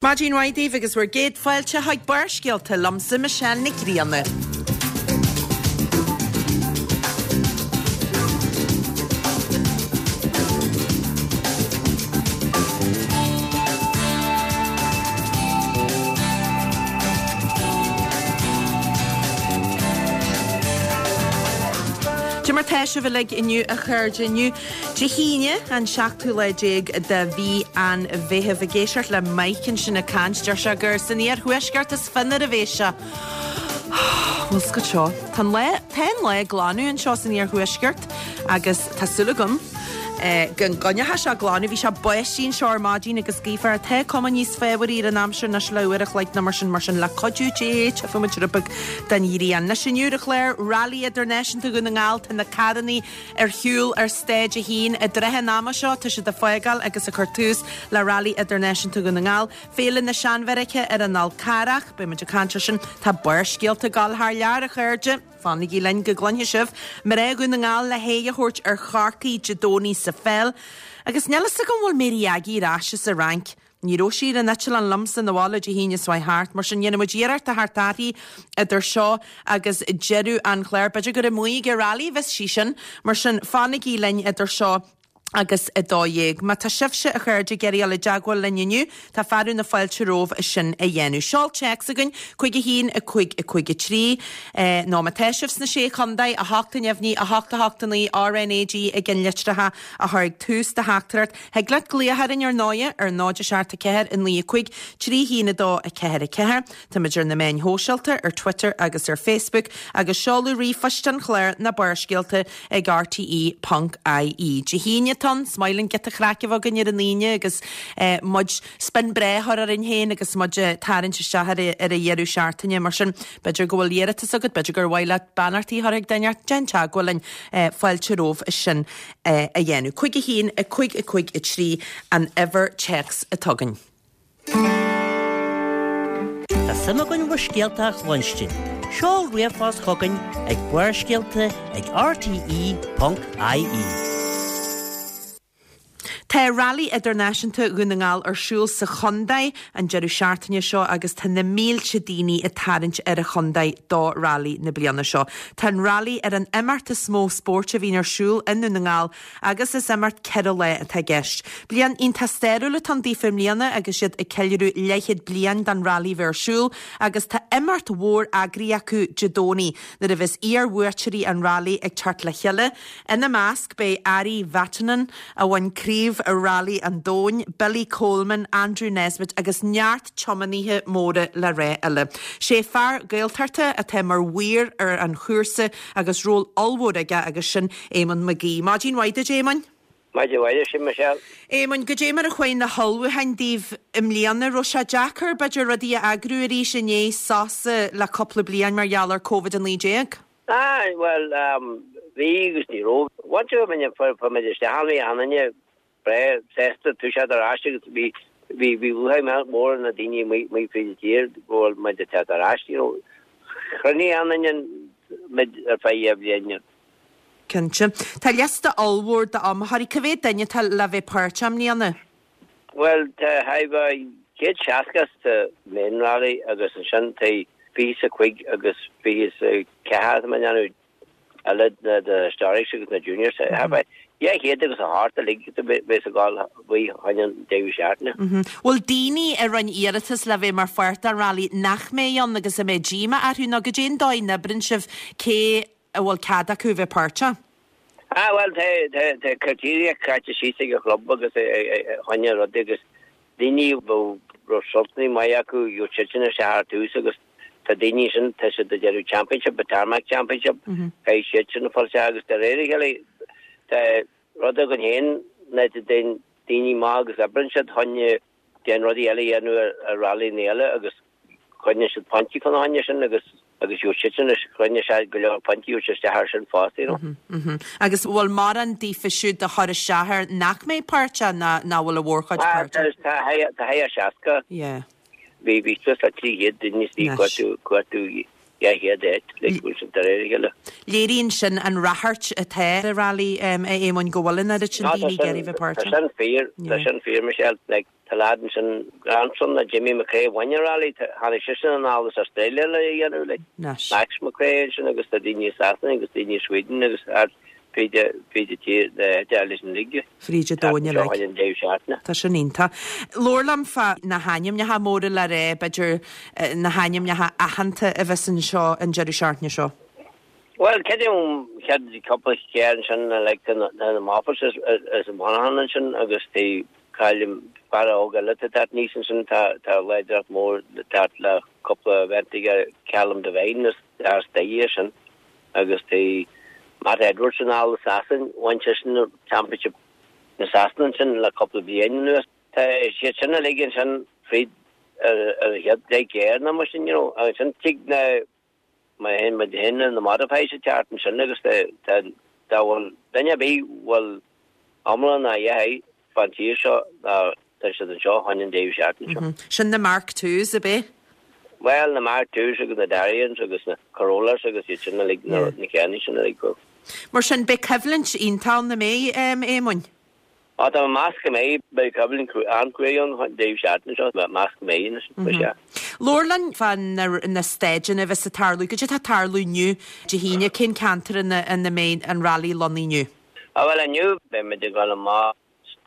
Maidin mhaith daoibh agus bhur gcéad fáilte chuig Barrscéalta liomsa Michelle Nic Grianna. Cad é mar tá sibh uilig inniu a chairde inniu. Dé hAoine, an seachtú lá déag de mhí an Mheithimh. Ag éisteacht le Mike ansin ag caint, deir sé gur san iarthuaisceart is finne a bhéas sé. Bhuel, seo seo. Tá an lá, tá an lá ag glanadh anseo san iarthuaisceart agus tá súil agam go gcoinneoidh sé ag glanadh. Bhí sé báistí anseo ar maidin agus gaofar. Tá cuma níos fabhraí ar an aimsir anois le uair a chloig nó mar sin, mar sin le cuidiú Dé, tchífidh muid rud beag den ghrian. Anois inniu ar an chlár, Rally Idirnáisiúnta Dhún na nGall, tá na carrannaí Ar shiúl ar Stáid 1 i dtrátha an ama seo, tá siad ag fágáil agus ag cur tús le Rally Idirnáisiúnta Dhún na nGall, Féile na Seanbheairice ar an Fhál Carrach, beidh muid ag caint ar sin, tá Barrscéalta ag gabháil thar lear, a chairde, fanaigí linn go gcluinfidh sibh, Mná Dhún na nGall le haghaidh a thabhairt ar Chorcaigh Dé Domhnaigh sa pheil, agus níl fhios agam an bhfuil Mary Aggie ar ais as an Fhrainc. Ní raibh sí ar an eitleán liomsa 'na bhaile Dé hAoine seo thart, mar sin dhéanfaidh muid iarracht a theacht uirthi idir seo agus deireadh an chláir. B'fhéidir gur amuigh ag an rally a bheas sí sin, mar sin fanaigí linn idir seo agus 12. Má tá sibhse, a chairde, ag iarraidh dul i dteagmháil linn inniu, tá fearadh na fáilte romhaibh sin a dhéanamh. Seol téacs chugainn, 5 1 5 5 3, nó má tá sibh sna Sé Chontae, 8 neamhní, 8 8 9, RNAG i gceannlitreacha a chur ag tús do theachtaireacht. Thig leat glaoch orainn ar ndóighe ar 0 7 4 9 5 3 1 2 4 4. Táimid ar na meáin shóisialta, ar Twitter agus ar Facebook, agus seoladh ríomhphoist an chláir ná Barrscéalta ag rte ponc ie. Dé hAoine atá ann, is maith linn giota craic a bheith againn ar an Aoine agus muid spin breá a chur orainn féin agus muid ag tarraingt isteach ar an dheireadh seachtaine. Mar sin, b'fhéidir go bhfuil iarratas agat, b'fhéidir gur mhaith leat beannachtaí a chur chuig duine, déan teagmháil linn, fáilte romhaibh sin. a dhéanamh. 5 1 5 5 3 an uimhir téacs atá againn. Tá suim againn bhur scéalta a chluinstin. Seol ríomhphost chugainn ag barrscéalta ag rte.ie. Tá Rally Idirnáisiúnta Dhún na nGall ar siúl sa chontae an deireadh seachtaine seo agus tá na mílte daoine ag tarraingt ar an chontae do Rally na bliana seo. Tá an Rally ar an imeacht is mó spóirt a bhíonn ar siúl i nDún na nGall agus is imeacht 4 lá atá i gceist. Bliain iontach stairiúil atá ann daofa i mbliana agus iad ag ceiliúradh leathchéad bliain den Rally bheith ar siúl agus tá imeacht mhór eagraithe acu Dé Domhnaigh nuair a bheas iar-bhuaiteoirí an Rally ag teacht le chéile. Ina measc beidh Ari Vatanen, a bhain Craobh Rally an Domhain, Billy Coleman, Andrew Nesbitt agus neart tiománaithe móra le rá eile. Sé fear Gaeltachta atá mar mhaor ar an chúrsa agus ról ollmhór aige agus sin Éamonn McGee. Maidin mhaith duit Éamoinn. Maidin mhaith duit Michelle. Éamoinn, goidé mar a chuaigh na hullmhúcháin daoibh i mbliana? Raibh sé deacair b'fhéidir rudaí a eagrú arís i ndiaidh sosa le cúpla bliain mar gheall ar Covid-19? Ah, bhuel, bhí agus ní raibh. Once a bhí fuair muid isteach ann, bhí achan duine breá sásta toiseacht ar ais agus bhí bhí bhí lúcháir mhór ar na daoine amuigh amuigh fríd an tír go bhfuil muid ag teacht ar ais, you know. Chruinnigh achan duine muid ar feadh dhá bhliain. Cinnte. Tá liosta ollmhór d'iomaitheoirí. Cá mhéad duine atá le bheith páirteach i mbliana? Bhuel, tá 160 sa main rally agus ansin tá 25 agus 24 atá mé ag déanamh eile na na historics agus na juniors. Thart 208 uilig a bheas ag gabháil faoi choinne an deireadh seachtaine. Bhfuil daoine a rinne iarratas le bheith mar pháirt den rally nach mbeidh ann agus a mbeidh díomá orthu nó goidé an dóigh a n-oibríonn sibh cé a bhfuil cead acu a bheith páirteach? Ah bhuel tá tá tá criteria caite síos ag an chlub agus choinne rudaí agus daoine a bhfuil raibh resultanna maith acu gheobhaidh siadsan isteach ar tús agus tá daoine sin tá siad ag déanamh championship a tarmac championship caithfidh siadsan fáil isteach agus de réir a chéile tá rud againn féin ná tá daoine maith agus oibreann siad choinne déan rudaí eile a dhéanamh ar rallyíní eile agus coinníonn siad pointí chun na choinne sin agus agus gheobhaidh siad sin is coinneoidh sé go leor pointí gheobhaidh siad isteach air sin fosta you know. Agus bhfuil mórán daofa siúd a chuir isteach air nach mbeidh páirteach ná nach bhfuil a mhórchuid Ah páirteach? tá tá thart ar 60. Yeah. Bhí bhí suas le 300 duine istigh Anois. cuartú cuartú 200 áit like bhfuil siad de réir a chéile. Léiríonn sin an ráchairt atá ar an rally a Éamoinn go bhfuil an oiread sin No tá daoine ag sin iarraidh bheith tá páirteach. sin fíor tá Yeah. sin fíor Michelle like. Tá leaid ansin, grandson le Jimmy McRae a bhain an rally, tháinig seisean anall as Australia le é a dhéanamh, like. Max McRae ansin agus tá daoine i Sasana agus daoine i Sweden agus thart fríd fríd an tír le leis an uilig. Fríd an domhan uilig. An deireadh seachtaine. Tá sin iontach. Labhair liom fá na hainmneacha móra le rá, b'fhéidir na hainmneacha aitheanta a bheas anseo an deireadh seachtaine seo. Bhuel, creidim chéad cúpla carr ansin like tá na Moffats as an Monaghan ansin agus tá cailín fear óg eile atá ag teacht aníos ansin tá tá láidreacht mór le teacht le cúpla event aige Callum Devine as as Doire sin agus tá Matt Edwards anall as Sasain bhain seisean championship na Sasana ansin le cúpla bliain anuas. Tá siad sin uilig ansin fríd ar ar an chéad deich gcarr nó mar sin you know agus ansin tig na Má théann muid féin na modifieds ag teacht ansin agus tá dá bhfuil duine ar bith bhfuil iomlán a dheich fán tír seo ná tá siad anseo chun an deireadh seachtaine seo. Sin na Mark Twos, ab é? Bhuel, na Mark Twos agus na Dariens agus na Corollas agus iad sin uilig, na ceannaí sin uilig. Mar sin, beidh coimhlint iontach ann, an mbeidh, Éamoinn? Á, tá mé ag meas go mbeidh, beidh coimhlint an-chruaidh ann an deireadh seachtaine seo, mé ag meas go mbeidh anois, ba sea. Labhair linn fá na staideanna a bheas ag tarlú, cad é atá ag tarlú inniu, Dé hAoine, cén ceantar ina ina mbeidh an rally lonnaithe inniu? Á bhuel inniu beidh muid ag dul amach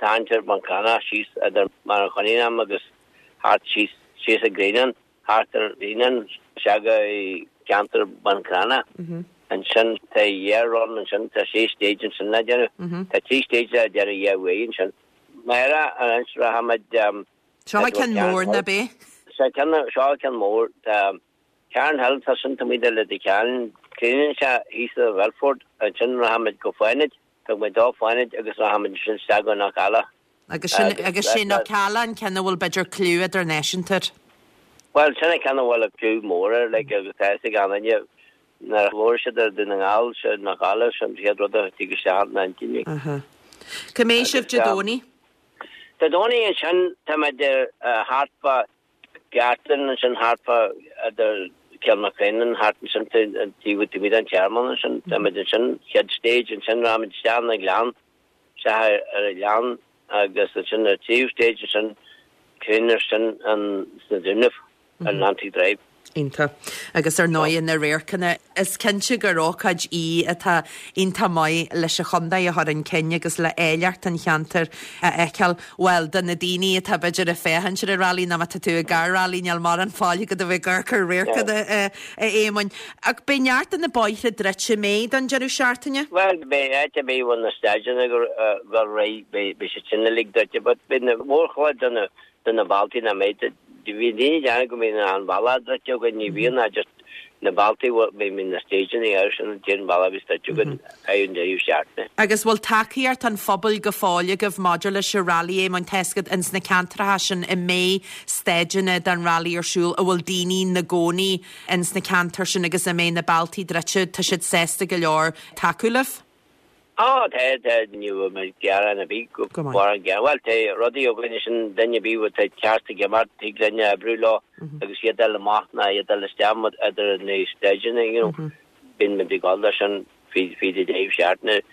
ceantar Bhun Cranncha síos idir Machaire Chonnaín agus thart síos síos an Grianán. Thart ar an nGrianán isteach i gceantar Bhun Cranncha. Ansin tá dhá run ansin, tá sé stage ansin le déanamh. Tá trí stage le déanamh dhá uair ansin. Amárach anois rachaimid. Seo ceann mór ná b'é? Seo ceann mór. Tá Cairn Hill, tá sin taobh amuigh de Leitir Ceanainn. Críochnaíonn sé thíos i Welford. Ansin rachaimid go Fánaid. Tógfaimid dó Fánaid agus rachaimid ansin isteach go Knockalla. Agus sin, agus sé Knockalla an ceann a bhfuil b'fhéidir cliú idirnáisiúnta air. Bhuel, sin an ceann a bhfuil cliú mór air, like, agus tá fhios ag an-duine nuair a labhair siad ar Dún na nGall, sé Knockalla, sin an chéad rud a thig isteach ina intinn, like. Aha. Cá mbeidh sibh Dé Domhnaigh? Dé Domhnaigh ansin, táimid thart fá Gartan ansin thart fá idir Kilmacrennan thart ansin taobh amuigh den tearmann ansin. Táimid ansin chéad stage ansin rachaimid isteach ina gleann, isteach ar an ghleann agus ansin ar tríú stage ansin críochnaíonn sin an sna Dúnaibh ar an Atlantic Drive. Iontach. Agus ar ndóigh na radharcanna, is cinnte gur ócáid í atá iontach maith leis an chontae a chur chun cinn agus le áilleacht an cheantair a fheiceáil. Bhuel, do na daoine atá b'fhéidir ag féachaint ar an rally nó má tá tú i gcarr rally níl mórán fáil agat a bheith ag amharc ar radharcanna, a Éamoinn. Ach beidh neart de na bóithre druidte, an mbeidh, don deireadh seachtaine? Bhuel, beidh áit ar bith a bhfuil na staideanna ag dul ar aghaidh, beidh siad sin uilig druidte, but beidh na mórchuid de na de na bealtaí nach mbeidh. Bhí daoine ag déanamh go mbíonn an bealach druidte againn, ní bhíonn ach just na bealtaí a mbíonn na stageanna air sin an t-aon bhealach a bhíos druidte againn ar an deireadh seachtaine. Agus bhfuil tacaíocht an phobail go fóill agaibh maidir leis an Rally, Éamoinn? Tá fhios agat ins na ceantracha sin a mbeidh staideanna den Rally ar siúl, a bhfuil daoine 'na gcónaí ins na ceantair sin agus a mbeidh na bealtaí druidte, tá siad sásta go leor tacú libh? Á, tá, tá, ní bhfuil mé ag gearán ar bith go Go maith. mórán gearán. Bhuel, tá rudaí againn sin duine ar bith atá ceart ag imeacht, tig linn oibriú leo agus iad dul amach ná iad dul isteach idir na staideanna, you know. Bíonn muid ag dul leis sin fríd an deireadh seachtaine,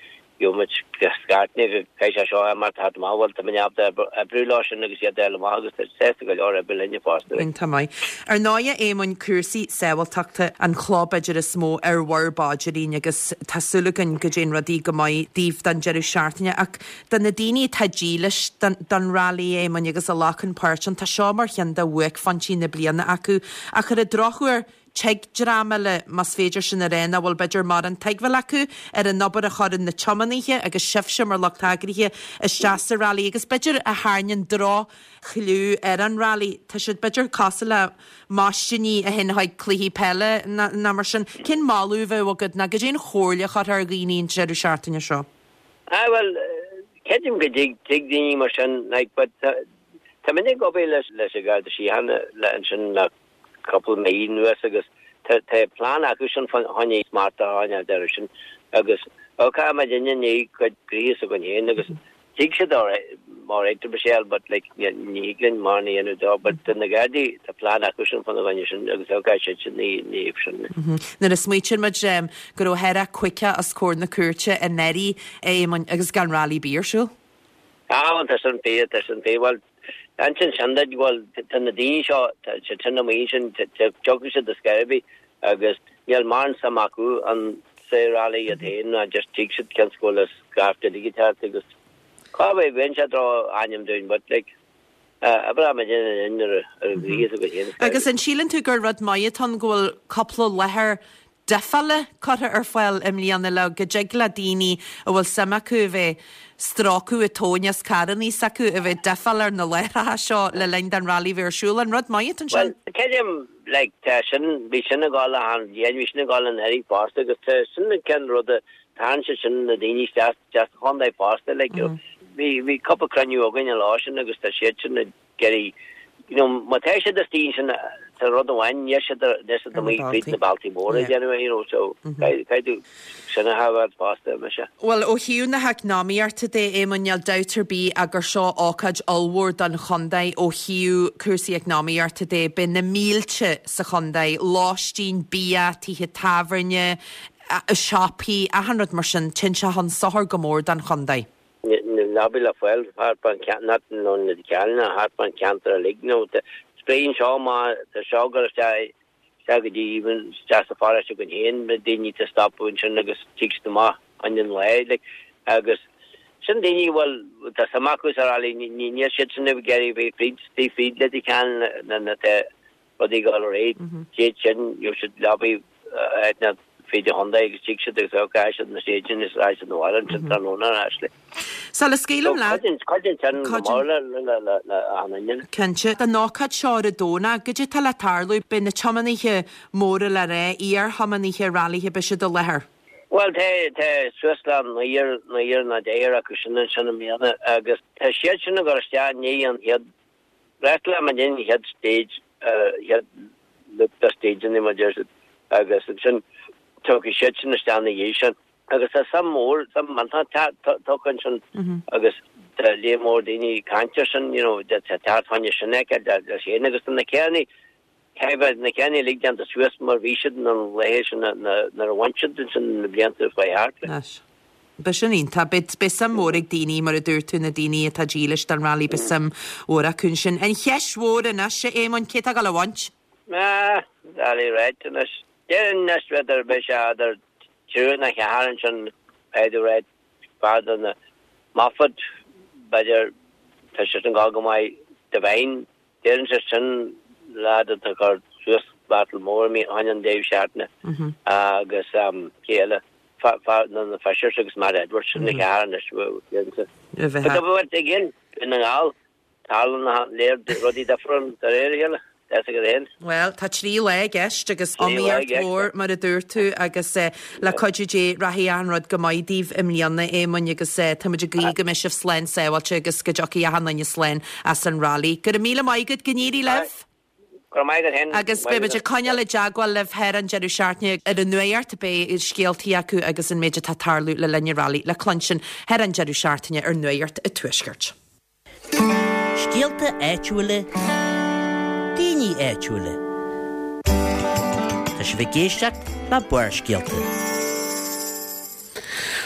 gheobhaimid scairteanna go caithfidh sé seo imeacht thart amach, bhuel, tá muid ábalta oibriú leo sin agus iad dul amach agus tá sásta go leor oibriú linne fosta. Iontach maith. Ar ndóigh, a Éamoinn, cúrsaí sábháilteachta an chloch b'fhéidir is mó ar bhur bpaidirín agus tá súil againn go dtéann rudaí go maith daoibh don deireadh seachtaine. Ach do na daoine atá dílis don Rally, a Éamoinn, agus a ghlacann páirt ann, tá seo mar cheann de bhuaicphointí na bliana acu. Ach ar an drochuair, tig dream eile, más féidir sin a rá, nach bhfuil b'fhéidir mórán tuigbheáil acu ar an obair a chuireann na tiománaithe agus sibhse mar lucht eagraithe isteach sa Rally agus b'fhéidir a tharraingíonn droch-chliú ar an Rally. Tá siad b'fhéidir cosúil le maistíní a théann chuig cluichí peile nó mar sin. Cén moladh a bheadh agat nó cad é an chomhairle a chuirfeá ar dhaoine an deireadh seachtaine seo? Ah bhuel, creidim go dtig, tig daoine mar sin, like, but tá muid ag obair leis an Gharda Síochána le ansin le cúpla mí anuas agus tá plean acu sin fá choinne smacht a choinneáil air sin agus ok muid i ndiaidh cuid gnoithe s'againn féin agus tig siad alright Michelle but like ní thig linn mórán a dhéanamh dó but do na Gardaí tá plean acu sin fána choinne sin agus ok siad sin ní ní sin. Nuair a smaoitíonn muid go raibh chóir a bheith caoga os comhair na cúirte anuraidh, a Éamoinn, agus gan rally ar bith ar siúl. Ah bhuel tá sin fíor, tá sin fíor. Bhuel. Ansin sin duit, bhuel, tá na daoine seo, tá siad sin amuigh ansin, tiocfaidh siad ar scor ar bith agus níl mórán suim acu an sa rally iad féin ná just tig siad cionn is go bhfuil an scaifte uilig ag teacht agus cá bhfeadh bheinn sé droch ainm dúinn but like oibreoidh muid in ar an ghríos againn féin. Agus an síleann tú gur rud maith atá ann go bhfuil cúpla láthair difeála curtha ar fáil i mbliana le go dtig le daoine a bhfuil suim acu a bheith strócadh ag tóin as carrannaí s'acu a bheith difeáil ar na láithreacha seo le linn don rally bheith ar siúl. An rud maith atá ansin? Bhuel, creidim, like, tá sin, bhí sin ag dul achan bhliain, bhí sin ag dul anuraidh fosta agus tá sin an ceann ruda, tarraingíonn sé sin na daoine isteach, isteach sa chontae fosta, like, bhí, bhí cúpla cruinniú againn an lá sin agus tá siad sin ag iarraidh, you know, má tá siad istigh ansin tá rud amháin, níl siad níl siad amuigh fríd na bealtaí móra ag déanamh, you know, so caithfidh tú sin a thabhairt fosta, mise. Bhuel, ó thaobh na heacnamaíochta de, Éamonn, níl dabht ar bith ach gur seo ócáid ollmhór don chontae ó thaobh cúrsaí eacnamaíochta de. Beidh na mílte sa chontae, lóistín, bia, tithe tábhairne, siopaí, achan rud mar sin, téann sé chun sochair go mór don chontae. Na leabaí le fáil thart fán cheantar, nó na ceanna thart fán cheantar uilig, nó spréann seo má tá seo ag dul isteach, isteach go dtí even isteach sa pharóiste againn féin, beidh daoine ag stopadh ansin agus tig siad amach chun an lae, like, agus sin daoine a bhfuil, tá suim acu sa rally, níl siad sin ag iarraidh a bheith fríd, istigh fríd Leitir Ceanainn na, tá rudaí ag dul ar aghaidh. Siad sin, gheobhaidh siad leabaí áiteanna fríd an chontae agus tig siad agus caithfidh siad na stéideanna is raghaidh siad 'na bhaile ansin tráthnóna ar ais le. Sula scaoilim leat. Cuidíonn sin go mór le le achan duine. Cinnte. Don ócáid seo ar an Domhnach, goidé atá le tarlú? Beidh na tiománaithe móra le rá, iar-thiománaithe railithe, beidh siad i láthair. Bhuel, tá, tá suas le naonúr, naonúr nó deichniúr acu sin ansin i mbliana agus tá siad sin ag dul isteach i ndiaidh an chéad Freastal muid an chéad stage, chéad loop de stageanna mar deir siad agus ansin tiocfaidh siad sin isteach ina dhiaidh sin. Agus tá suim mhór, suim iontach tugtha ansin agus tá líon mór daoine ag caint ar sin, you know, tá teacht fá choinne sin a fheiceáil leis féin agus tá na carrannaí Caithfidh na carrannaí uilig déanta suas mar bhí siad na laethe sin nuair a bhain siad ansin na blianta chuaigh thart. Anois. Beidh sin iontach. Beidh, beidh suim mhór ag daoine, mar a dúirt tú, na daoine atá dílis don rally, beidh suim mhór acu ansin. An cheist mhór anois, a Éamoinn, cé atá ag dul a bhaint? Ah, doiligh ráite anois. Déarfainn anois, b'fhéidir, beidh sé idir triúr nó ceathrar ansin, Paddy Reid, fear de na Moffat, b'fhéidir, tá sé sin ag dul go maith, Devine, Déarfainnse sin leaid atá ag cur suas battle mór i choinne an deireadh seachtaine agus cé eile? Fear na Fishers agus Matt Edwards sin na ceathrar anois déarfainnse. But again, Dún na nGall, tarlaíonn léir rudaí difriúil de réir a chéile. Tá fhios agat féin. Bhuel, tá 3 lá i gceist agus iomaíocht mhór mar a dúirt tú agus le cuidiú Dé rachaidh achan rud go maith daoibh i mbliana, Éamoinn, agus tá muid ag guí go mbeidh sibh slán sábháilte agus go dtiocfaidh achan duine slán as an rally. Go raibh míle maith agat, go n-éirí libh! Go raibh maith agat féin. Agus beidh muid ag coinneáil i dteagmháil libh thar an deireadh seachtaine ar an nuacht, beidh scéaltaí acu agus an méid atá ag tarlú le linn an rally le cluinstin thar an deireadh seachtaine ar Nuacht an Tuaiscirt. Scéalta áitiúla, daoine áitiúla. Tá sibh ag éisteacht le Barrscéalta.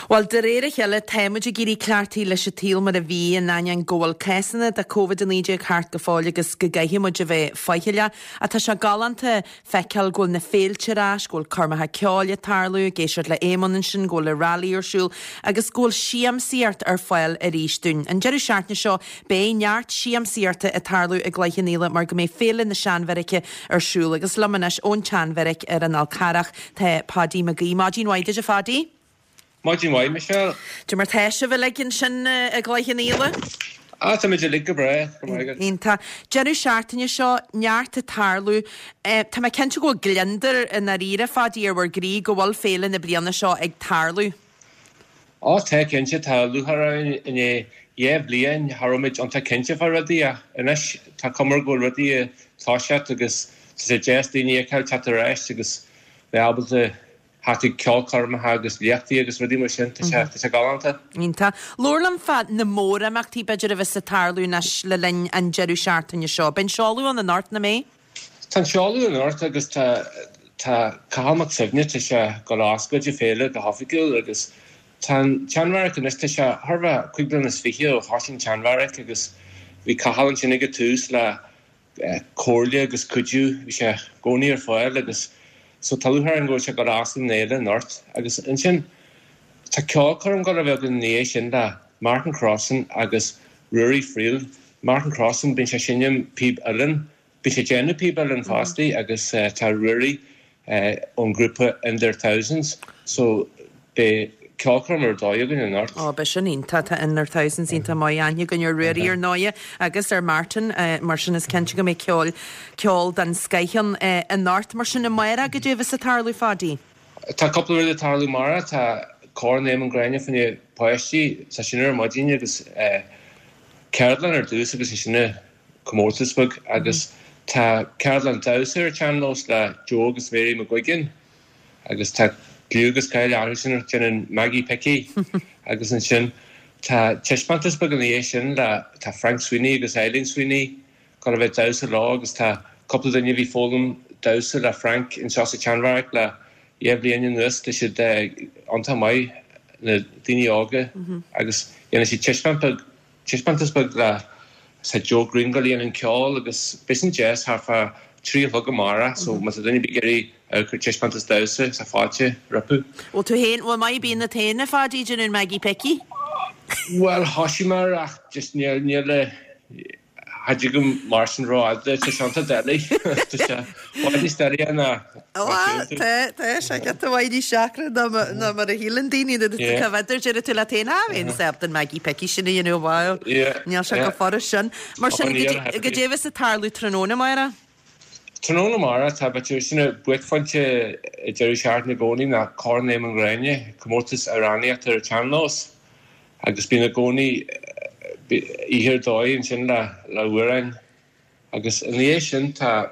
Bhuel, de réir a chéile, tá muid ag éirí cleachtaithe leis an tsaol mar a bhí, in ainneoin go bhfuil cásanna de Covid-19 thart go fóill agus go gcaithfidh muid a bheith faichilleach. Ach tá sé galánta feiceáil go bhfuil na féilte ar ais, go bhfuil coirmeacha ceoil ag tarlú, ag éisteacht le Éamonn ansin, go bhfuil an rally ar siúl agus go bhfuil siamsaíocht ar fáil arís dúinn. An deireadh seachtaine seo beidh neart siamsaíochta ag tarlú i gCloich Cheann Fhaola mar go mbeidh Féile na Seanbheairice ar siúl agus liom anois ón tSeanbheairic ar an Fhál Carrach tá Paudie Mag Aoidh. Maidin mhaith duit a Phaudie. Maidin mhaith, Michelle. Cad é mar tá sibh uilig ansin i gCloich Cheann Fhaola? Ah, táimid uilig go breá, go raibh maith agat. Iontach. Deireadh seachtaine seo, neart ag tarlú. Tá mé cinnte go bhfuil gliondar i ndáiríre, Phaudie, ar bhur gcroí go bhfuil féile na bliana seo ag tarlú. Á, tá, cinnte. Tá lúcháir orainn i ndiaidh 2 bhliain, cha raibh muid iontach cinnte fá rudaí ach anois tá cuma go bhfuil rudaí ag toiseacht agus tá sé deas daoine a fheiceáil teacht ar ais agus bheith ábalta theacht ag ceolchoirmeacha agus léachtaí agus rudaí mar sin. Tá sé, tá sé galánta. Iontach. Labhair liom fá na mórimeachtaí, b'fhéidir, a bheas ag tarlú anois le linn an deireadh seachtaine seo. Beidh an seoladh ann anocht, nach mbeidh? Tá an seoladh anocht agus tá, tá Cathal Mac Suibhne, tá sé ag dul a oscailt an féile go hoifigiúil agus Tá an tSeanbheairic anois, tá sé thar a bheith 25 bliana ó thosaigh an tSeanbheairic agus Bhí Cathal ansin ag an tús le comhairle agus cuidiú, bhí sé i gcónaí ar fáil agus so tá lúcháir orainn go bhfuil sé ag dul a oscailt an fhéile anocht. Agus ansin tá ceolchoirm ag dul a bheith againn ina dhiaidh sin le Martin Crossan agus Ruairí Friel. Martin Crossan, bíonn sé ag seinm píb uilleann Bíonn sé ag déanamh píob uilleann fosta agus tá Ruairí ón ghrúpa In Their Thousands so beidh ceolchoirm ar dóigh againn anocht. Ó, beidh sin iontach. Tá In Their Thousands iontach maith. Aithne againn ar Ruairí ar ndóighe agus ar Martin mar sin is cinnte go mbeidh ceol, ceol den scoith ann anocht. Mar sin amárach goidé a bheas ag tarlú Phaidí? Tá cúpla rud ag tarlú amárach. Tá Corn Éamonn Gréine fá choinne páistí, tá sin ar maidin agus ceardlann ar dtús agus ansin comórtas beag agus tá ceardlann damhsa ar an tsean-nós le Joe agus Mary McGuigan agus tá gliú agus cáil orthu sin ag déanamh Maggie Picky agus ansin tá taispeántas beag ina dhiaidh sin le tá Frank Sweeney agus Eileen Sweeney ag dul a bheith ag damhsa leo agus tá cúpla duine a bhí ag foghlaim damhsa le Frank anseo sa tSeanbheairic le 2 bhliain anuas tá siad iontach maith na daoine óga agus dhéanfaidh siad taispeáint beag Taispeántas beag le tá Joe Greene ag dul a dhéanamh an ceol agus beidh sin deas thart fá 3 a chlog amárach so má tá duine ar bith ag iarraidh amharc ar taispeántas damhsa tá fáilte rompu. Bhfuil tú féin, bhfuil maith ar bith ionat féin a Phaidí ag déanamh Maggie Picky? Bhuel thoisigh mé air ach just níl, níl a, Cha dtig liom mar sin rófhada, tá sé iontach doiligh. Tá sé i bhfad níos doilighe ná mar a síleann tú. Tá, tá sé giota maith níos deacra ná ná mar a shíleann daoine nuair atá cá bhfeadar, déarfaidh tú leat féin, ah, bheinn ábalta an Maggie Picky sin a dhéanamh bhuel, níl sé chomh furast sin. Mar sin, goidé a bheas ag tarlú tráthnóna amárach? Tráthnóna amárach, tá b'fhéidir, sin an buaicphointe deireadh seachtaine i gcónaí ná Corn Éamonn Ghréine, comórtas amhránaíochta ar an tsean-nós. Agus bíonn i gcónaí oíche ar dóigh ansin le hamhráin. Agus ina dhiaidh sin tá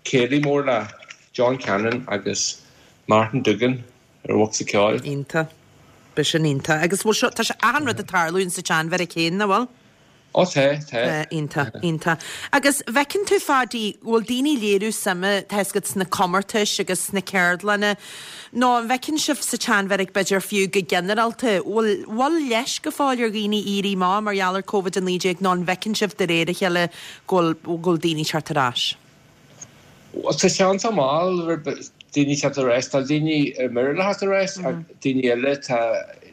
céilí mór le John Cannon agus Martin Duggan ar bhocsa ceoil. Iontach. Beidh sin iontach. Agus bhfuil seo, tá sé achan rud ag tarlú in sa tSeanbheairic féin, nach bhfuil? Ó tá, tá. Iontach, iontach. Agus bhfeiceann tú, Phaidí, bhfuil daoine ag léiriú suime, tá fhios agat, sna comórtais agus sna ceardlanna, nó an bhfeiceann sibh sa tSeanbheairic, b'fhéidir fiú go ginearálta, bhfuil, bhfuil leisc go fóill ar dhaoine éirí amach mar gheall ar Covid-19 nó an bhfeiceann sibh de réir a chéile go bhfuil, go bhfuil daoine ag teacht ar ais? Bhuel, tá sé iontach mall daoine teacht ar ais. Tá daoine ar mire le theacht ar ais ach daoine eile tá,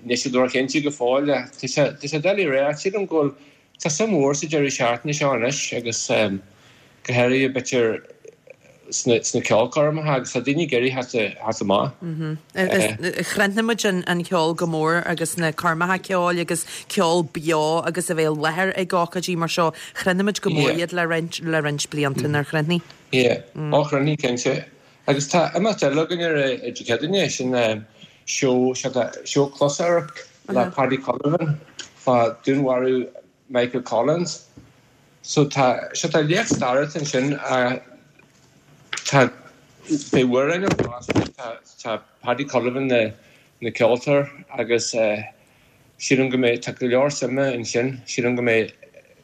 níl siad róchinnte go fóill. Tá sé, tá sé doiligh a rá. Sílim go bhfuil, tá suim mhór sa deireadh seachtaine seo anois agus go háirithe b'fhéidir sna, sna ceolchoirmeacha agus tá daoine ag iarraidh theacht, theacht amach. Chrothnaigh muid an ceol go mór agus na coirmeacha ceoil agus ceol beo agus a bheith i láthair ag ócáidí mar seo. Chrothnaigh muid go mór iad le roinnt, le roinnt blianta, nár chrothnaigh? Yeah. Ó chrothnaigh, cinnte. Agus tá imeacht eile againn ar Dé Céadaoine, sin seó, seó closamhairc le Paddy Cullivan fá dúnmharú Michael Collins. So tá, seo tá léacht staire ansin, tá, beidh amhráin ann fosta, tá, tá Paddy Cullivan na, na ceoltóir agus sílim go mbeidh, tá go leor suime ansin, sílim go mbeidh,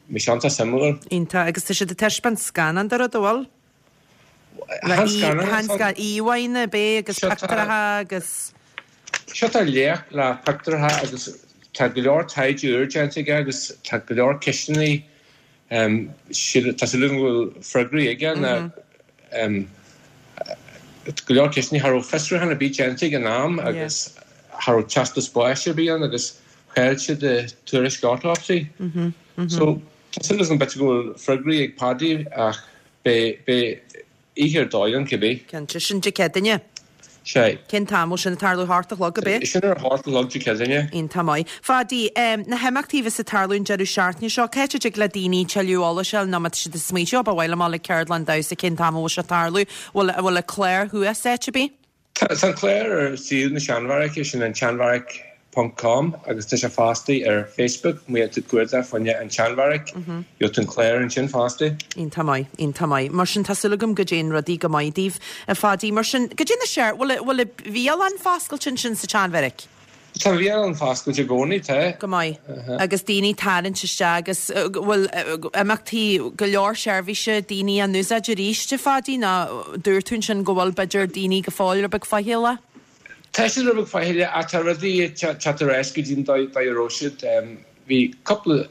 mbeidh sé iontach suimiúil. Iontach, agus tá siad ag taispeáint scannán de rud, an bhfuil? Chan scannán. Íomhánna, ab é, agus pictiúracha agus. Seo tá léacht le pictiúracha agus tá go leor taighde úr déanta aige agus tá go leor ceisteanna, tá súil agam go bhfuil freagraí aige na go leor ceisteanna cha raibh fiosrúchán ar bith déanta ag an am agus cha raibh teastas báis ar bith ann agus chaill siad tuairisc autopsy. So tá súil agam b'fhéidir go bhfuil freagraí ag Paddy ach Beidh, beidh oíche ar dóigh ann cibé. Cinnte. Sin Dé Céadaoine. Sea. Cén t-am bhfuil sin ag tarlú? A hocht a chlog, ab é? Sin ar a hocht a chlog Dé Céadaoine. Iontach maith. Phadaí, na himeachtaí a bheas ag tarlú an deireadh seachtaine seo, cá háit a dtig le daoine tuilleadh eolais a fháil nó má tá siad ag smaointiú, ó ba mhaith liom dul ag ceardlann damhsa, cén t-am a bhfuil sé ag tarlú? Bhfuil, bhfuil an clár thuas áit ar bith? Tá an clár ar suíomh na Seanbheairice, sin an tseanbheairic ponc com agus tá sé fosta ar Facebook, má dhéanann tú cuardach fá choinne an tSeanbheairic, gheobhaidh tú an clár ansin fosta. Iontach maith, iontach maith. Mar sin, tá súil agam go dtéann rudaí go maith daoibh, a Phadaí. Mar sin, goidé na seir, bhfuil, bhfuil an bhialann foscailte ansin sa tSeanbheairic? Tá an bhialann foscailte i gcónaí, tá. Go maith. Agus daoine ag tarraingt isteach agus bhfuil imeachtaí, go leor seirbhíse, daoine á n-úsáid arís, a Phadaí, nó dúirt tú ansin go bhfuil b'fhéidir daoine go fóill rud beag faichilleach? Tá siad rud beag faichilleach ach tá rudaí ag teacht ar ais go dtí an dóigh a raibh siad. Bhí cúpla.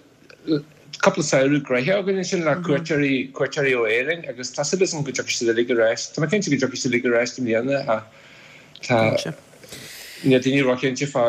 cúpla samhradh gnoitheach againn ansin le cuairteoirí, cuairteoirí ó Éirinn agus tá súil agam go dtiocfaidh siad uilig ar ais. Tá mé cinnte go dtiocfaidh siad uilig ar ais i mbliana ach tá, níl daoine róchinnte fá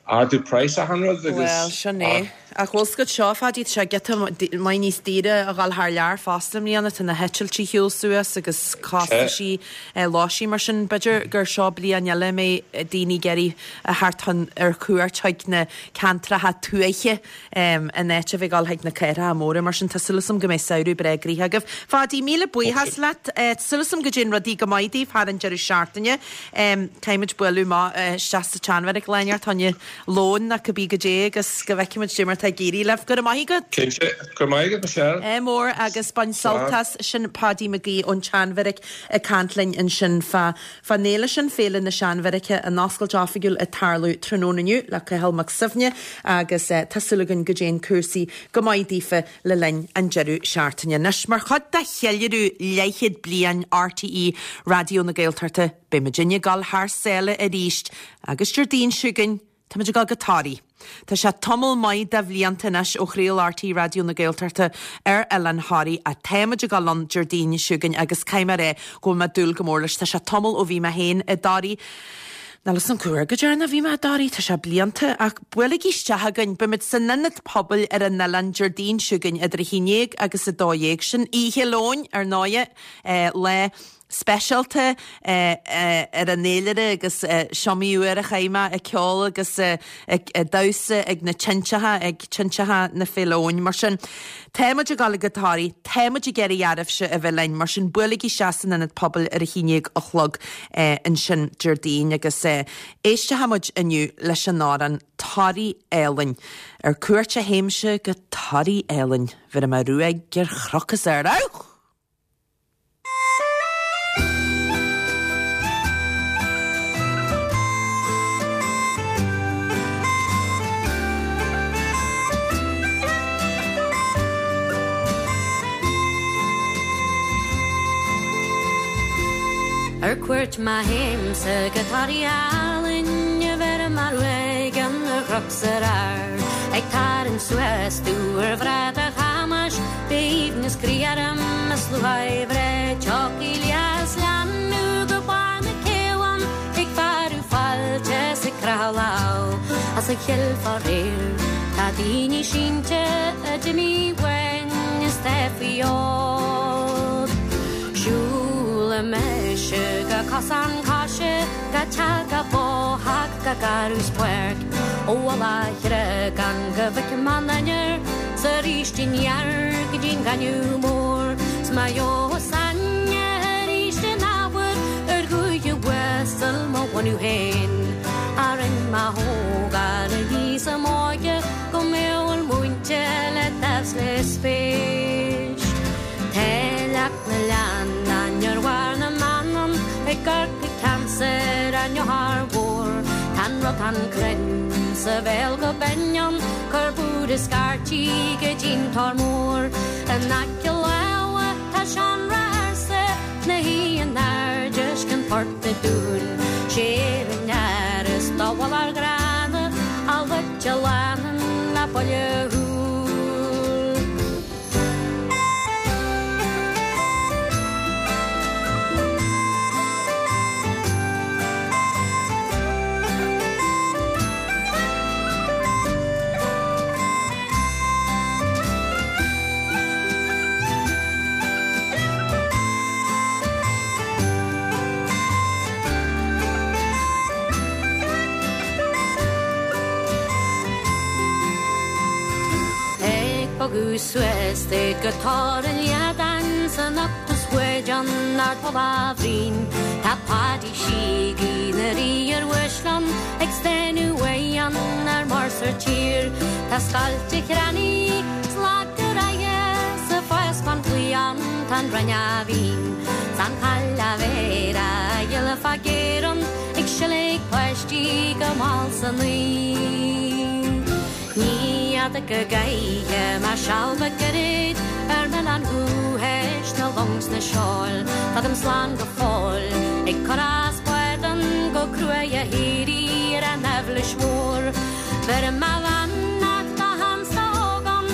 ardú praghas achan rud agus. Bhuel, sin é. Ach bhfuil 's agat seo, a Phadaí, tá sé giota maith níos daoire a dhul thar lear fosta i mbliana. Tá na heitiltí ar shiúl suas agus costaisí lóistín mar sin. B'fhéidir gur seo bliain eile a mbeidh daoine ag iarraidh a theacht chun ar cuairt chuig na ceantracha tuaithe in áit a bheith ag dul chuig na cathracha móra. Mar sin, tá súil agam go mbeidh samhradh breá gnoitheach agaibh. Phadaí, míle buíochas leat. Tá súil agam go dtéann rudaí go maith daoibh thar an deireadh seachtaine. Caithfimid bualadh amach isteach sa tSeanbheairic lá inteacht fá choinne lóin nó cibé goidé agus go bhfeicfimid dé mar atá ag éirí libh. Go raibh maith agat. Cinnte. Go raibh maith agat, Michelle. Ádh mór agus bain sult as. Sin Paudie McGee ón tSeanbheairic ag caint linn ansin fá fán fhéile sin, Féile na Seanbheairice, an oscailt oifigiúil ag tarlú tráthnóna inniu le Cathal Mac Suibhne agus tá súil againn go dtéann cúrsaí go maith daofa le linn an deireadh seachtaine. Anois, mar chuid de cheiliúradh leathchéad bliain RTÉ Raidió na Gaeltachta, beidh muidinne ag dul thar sáile arís agus Déardaoin seo chugainn, táimid ag dul go Toraigh. Tá sé tamall maith de bhlianta anois ó chraol RTÉ Raidió na Gaeltachta ar Oileán Thoraí ach táimid ag dul ann Déardaoin seo chugainn agus caithfidh mé a rá go bhfuil mé ag dúil go mór leis. Tá sé tamall ó bhí mé féin i dToraigh. Níl 'fhios a'm cá huair go deireanach a bhí mé i dToraigh, tá sé blianta, ach buailigí isteach chugainn, beimid san Ionad Pobail ar an oileán Déardaoin seo chugainn idir 11 agus 12, sin Oíche Luain, ar ndóighe, lá speisialta ar an fhéilire agus is iomaí uair a chaith mé ag ceol agus ag damhsa ag na tinteacha, ag tinteacha na Féile Eoin. Mar sin, tá muid ag dul go Toraigh, tá muid ag iarraidh oraibhse a bheith linn, mar sin buailigí isteach san Ionad Pobail ar a 11 a chlog ansin Déardaoin agus éistfidh muid inniu leis an amhrán Toraigh Álainn. Ar cuairt a théimse go Toraigh Álainn, bheirfidh mé ruaig ar chnoc is ard. Auch! Ar cuairt má théimse go Toraigh álainn bheirim ruaig ar chnoc 's ar ard ag tarraingt suas tuar bhratach Chamuis B'aoibhneas croí orm is lúcháir bhreá Tiocfaidh liath is leanbh go barr na céibheann Ag fearadh fáilte is ag croitheadh lámh As a chill faraor tá daoine sínte a d'imigh uainn is tá faoi fhód. Siúlfaidh mise go cosán coise go teach go bóitheach go garradh 's páirc ó mhullach Chreagán go bhfeicfidh mé an ainnir 's arís aniar go dtí'n gaineamh mór 's má gheobhas aithne arís in athuair ar dhúiche uasal mo bhunadh féin a rinn mo thógáil aníos i m'óige go mbéal múinte le dáimh 's le spéis. Tá leac na leannán ar bharr na Manann i gCorcaigh ceansair an Eochair Mhór. Tá an rotán cruinn sa bhéal go binn ann, cur búir is scairtí go dtí'n Tor Mór. In aice láimhe tá seanra ársa 'na shuí in airde uisce an Phort a' Dúin. Sé an fhear is dubhach gránna a loit a leanann le buille shúl. Ag bogadh suas duit go Tor an Liadáin san octas bhád an Ardmholadh Bhriain Tá Páidí Síogaí 'na rí ar uaisleán ag stánadh uaidh an ar muir 's ar tír Tá scoilt a chrannaí 's lag go raighe sa fáscán chliabhán tá an rinne mhín 's an chailleach bhéar a ghile fá gcéarann ag sileadh páistí go mall san oíche. Ní fhada go gcaillfidh mé seal beag gairid ar m'oileán dhúchais na long 's na seoil. Fágaim slán go fóill ag cur as bádan go cruaidh a shíoraí ar an aibhléis mhór. Beirim mo bheannacht do Hans 's do Hógán.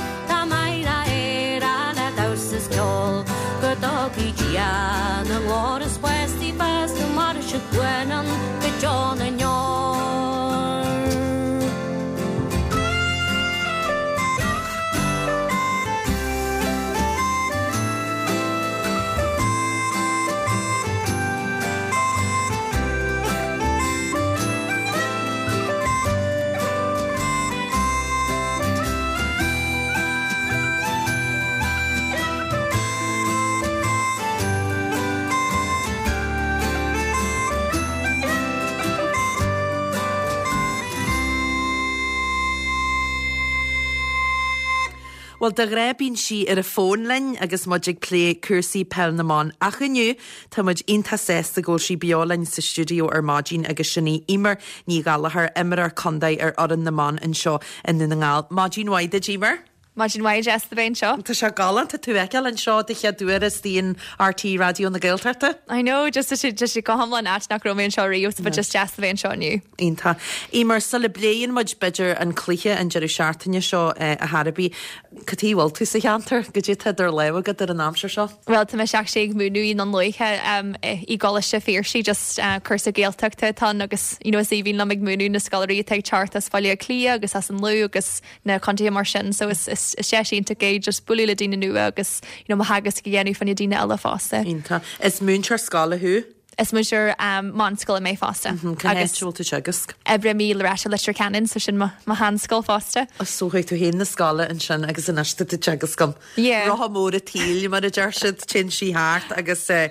Lena ghlór is báistí feasta mar is baineann go deo na ndeor. Bhuel, de ghnáth bíonn sí ar an bhfón linn agus muid ag plé cúrsaí Peil na mBan ach inniu tá muid iontach sásta go bhfuil sí beo linn sa stiúideo ar maidin agus sin í Eimear Ní Ghallchóir, imreoir contae ar fhoireann na mban anseo i nDún na nGall. Maidin mhaith duit, Eimear. Maidin mhaith, deas a bheith anseo. Tá sé galánta tú a fheiceáil anseo de chéad uair istigh in RTÉ Raidió na Gaeltachta. I know, just tá sé tá sé go hiomlán ait nach raibh mé anseo riamh, but just deas a bheith anseo inniu. Iontach. Eimear, sula bpléann muid b'fhéidir an cluiche an deireadh seachtaine seo ar chor ar bith, cad chuige a bhfuil tú sa cheantar? Goidé atá idir lámha agat ar an aimsir seo? Bhuel, tá mise actually ag múineadh i nDún Lúiche i gColáiste Phiarsaigh, just cúrsa Gaeltachta atá ann agus you know is aoibhinn liom ag múineadh na scoláirí atá ag teacht as Baile Átha Cliath agus as an Lú agus na contaetha mar sin so is is deis iontach é just bualadh le daoine nua agus you know mo theagasc a dhéanamh fá choinne daoine eile fosta. Iontach. Is múinteoir scoile thú? Is múinteoir meánscoile mé fosta. Cá háit a bhfuil tú ag teagasc? Oibrím i Loreto Leitir Ceanainn so sin mo mo sheanscoil fosta. So chuaigh tú féin 'na scoile ansin agus anois tá tú ag teagasc ann. Yeah. Rotha mór an tsaoil mar a deir siad, téann sí thart agus tá,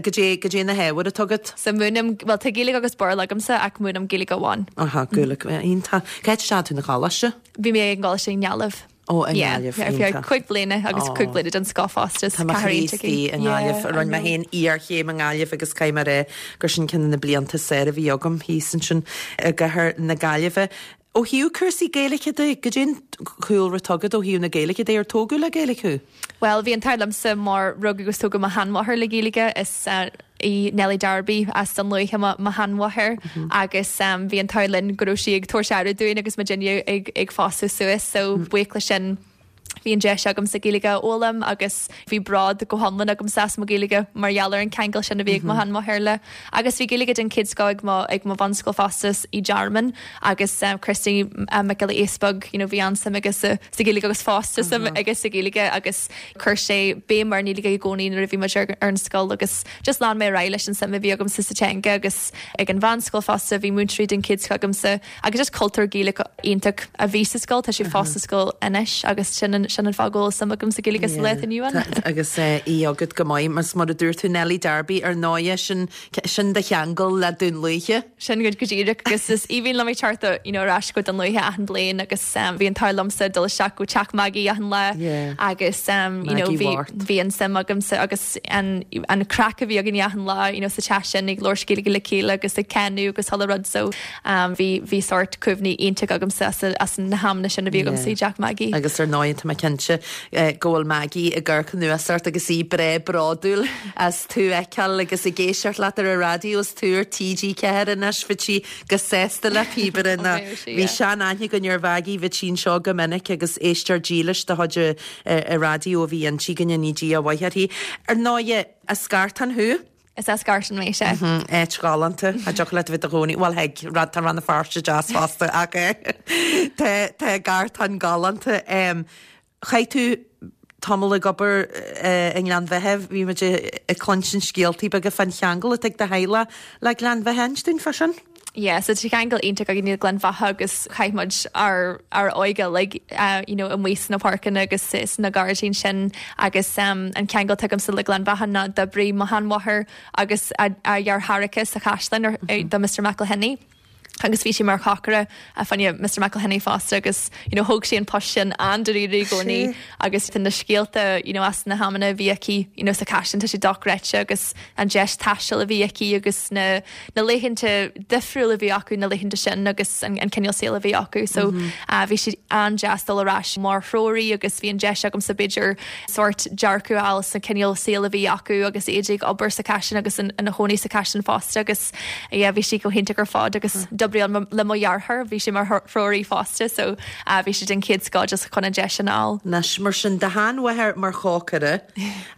goidé, goidé na hábhair atá agat? So múinim, bhuel tá Gaeilge agus Béarla agamsa ach múinim Gaeilge amháin. Aha, Gaeilge, iontach. Cá háit a ndeachaigh tú 'na choláiste? Bhí mé ag an gcoláiste i nGaillimh. Ó, i nGaillimh, Yeah, ar feadh iontach. cúig bliana agus cúig bliana den scoth fosta, is Tá mo cathair chroí iontach í. istigh i nGaillimh. Yeah, I Rinne mé know. féin iarchéim i nGaillimh agus caithfidh mé a rá gur sin ceann de na blianta is fearr a bhí agam thíos ansin i gcathair na Gaillimhe. Ó thaobh cúrsaí Gaeilge de, goidé an cúlra atá agat ó thaobh na Gaeilge de, ar tógadh le Gaeilge thú? Bhuel, bhí an t-ádh liomsa mar rugadh agus tógadh mo sheanmháthair le Gaeilge, is í Nellie Darby as Dún Lúiche mo sheanmháthair agus bhí an t-ádh linn go raibh sí ag tabhairt aire dúinn agus muidinne ag fásadh suas so buíoch leis sin Bhí an deis agamsa Gaeilge a fhoghlaim agus bhí bród go hiomlán agamsa as mo Ghaeilge mar gheall ar an ceangal sin a bhí ag mo sheanmháthair léi. Agus bhí Gaeilge den chéad scoth ag mo ag mo bhunscoil fosta i dTearmann agus Christy Mac Giolla Easpaig you know bhí an-suim aige sa sa Ghaeilge agus fós tá suim aige sa Ghaeilge agus chuir sé béim ar an nGaeilge i gcónaí nuair a bhí muid ar ar an scoil agus just lean mé ar aghaidh leis an suim a bhí agamsa sa teanga agus ag an mheánscoil fosta bhí múinteoirí den chéad scoth agamsa Agus just cultúr Gaelach iontach a bhí sa scoil, tá sé fós sa scoil anois agus sin an sin an fáth go bhfuil suim agam sa Ghaeilge sa lá atá inniu ann. Agus í agat go maith, mar mar a dúirt tú Nellie Darby ar ndóighe, sin sin do cheangal le Dún Lúiche. Sin go go díreach agus is aoibhinn liom ag teacht you know ar ais go Dún Lúiche achan bliain agus bhí an t-ádh liomsa dul isteach go teach Maggie achan lá agus you know bhí bhí an suim agamsa agus an an craic a bhí againn achan lá you know sa teach sin ag labhairt Gaeilge le chéile agus ag canadh agus chuile rud so Bhí, bhí sórt cuimhní iontach agamsa as, as na hamanna sin a bhí agamsa i dteach Maggie. Agus ar ndóigh tá mé cinnte go bhfuil Maggie ag amharc anuas ort agus í breá bródúil as tú a fheiceáil agus ag éisteacht leat ar an raidió is tú ar TG4 anois, bheadh sí go sásta le píobaire ná. Bhí sean-aithne againn ar Mhaggie, bhíodh sí anseo go minic agus éisteoir dílis de chuid an raidió a bhí inti, go ndéana Dia a mhaith uirthi. Ar ndóigh, as Gartán thú? Is as Gartán mé, sea. Áit ghalánta. Cha dtiocfadh leat a bheith i do chónaí, bhuel thig, tá Rann na Feirste deas fosta ach tá tá Gartán galánta. Chaith tú tamall ag obair i nGleann Bheatha, bhí muid ag cluinstin scéaltaí beaga fán cheangal atá ag do theaghlach le Gleann Bheatha, inis dúinn fá sin. Yeah, so tá ceangal iontach againn le Gleann Bheatha agus chaith muid ár ár óige uilig you know amuigh sna páirceanna agus sna gairdíní sin agus um an ceangal atá agamsa le Gleann Bheatha ná d'oibrigh mo sheanmháthair agus a a dheartháireacha sa chaisleán ar do Mr McElhinney agus bhí sí mar chócaire fá choinne Mr McElhinney fosta agus you know thóg sí an post sin an-dáiríre i gcónaí agus tá na scéalta you know as na hamanna a bhí aici you know sa chaisleán tá sé dochreidte agus an deis taistil a bhí aici agus na na laethanta difriúla a bhí acu na laethanta sin agus an cineál saoil a bhí acu. So bhí sé an-deas dul ar ais mar threoraí agus bhí an deis agamsa b'fhéidir sórt dearcadh a fháil sa cineál saoil a bhí acu agus iad ag obair sa chaisleán agus ina chónaí sa chaisleán fosta agus yeah bhí sé go hiontach ar fad agus. D'oibrigh le mo dheartháir, bhí sé mar threoraí fosta so bhí sé den chéad scoth just chun an deis sin a fháil. Anois, mar sin, do sheanmháthair mar chócaire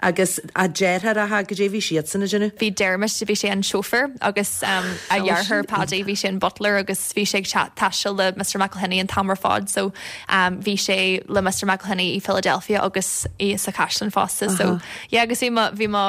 agus a deartháireacha, goidé bhí siadsan ag déanamh? Bhí Dermot, bhí sé an chauffeur agus a dheartháir Paddy, bhí sé an butler agus bhí sé ag taisteal le Mr McElhinney an t-am ar fad so bhí sé le Mr McElhinney i Philadelphia agus i sa Chaisleán fosta so Yeah agus bhí mo bhí mo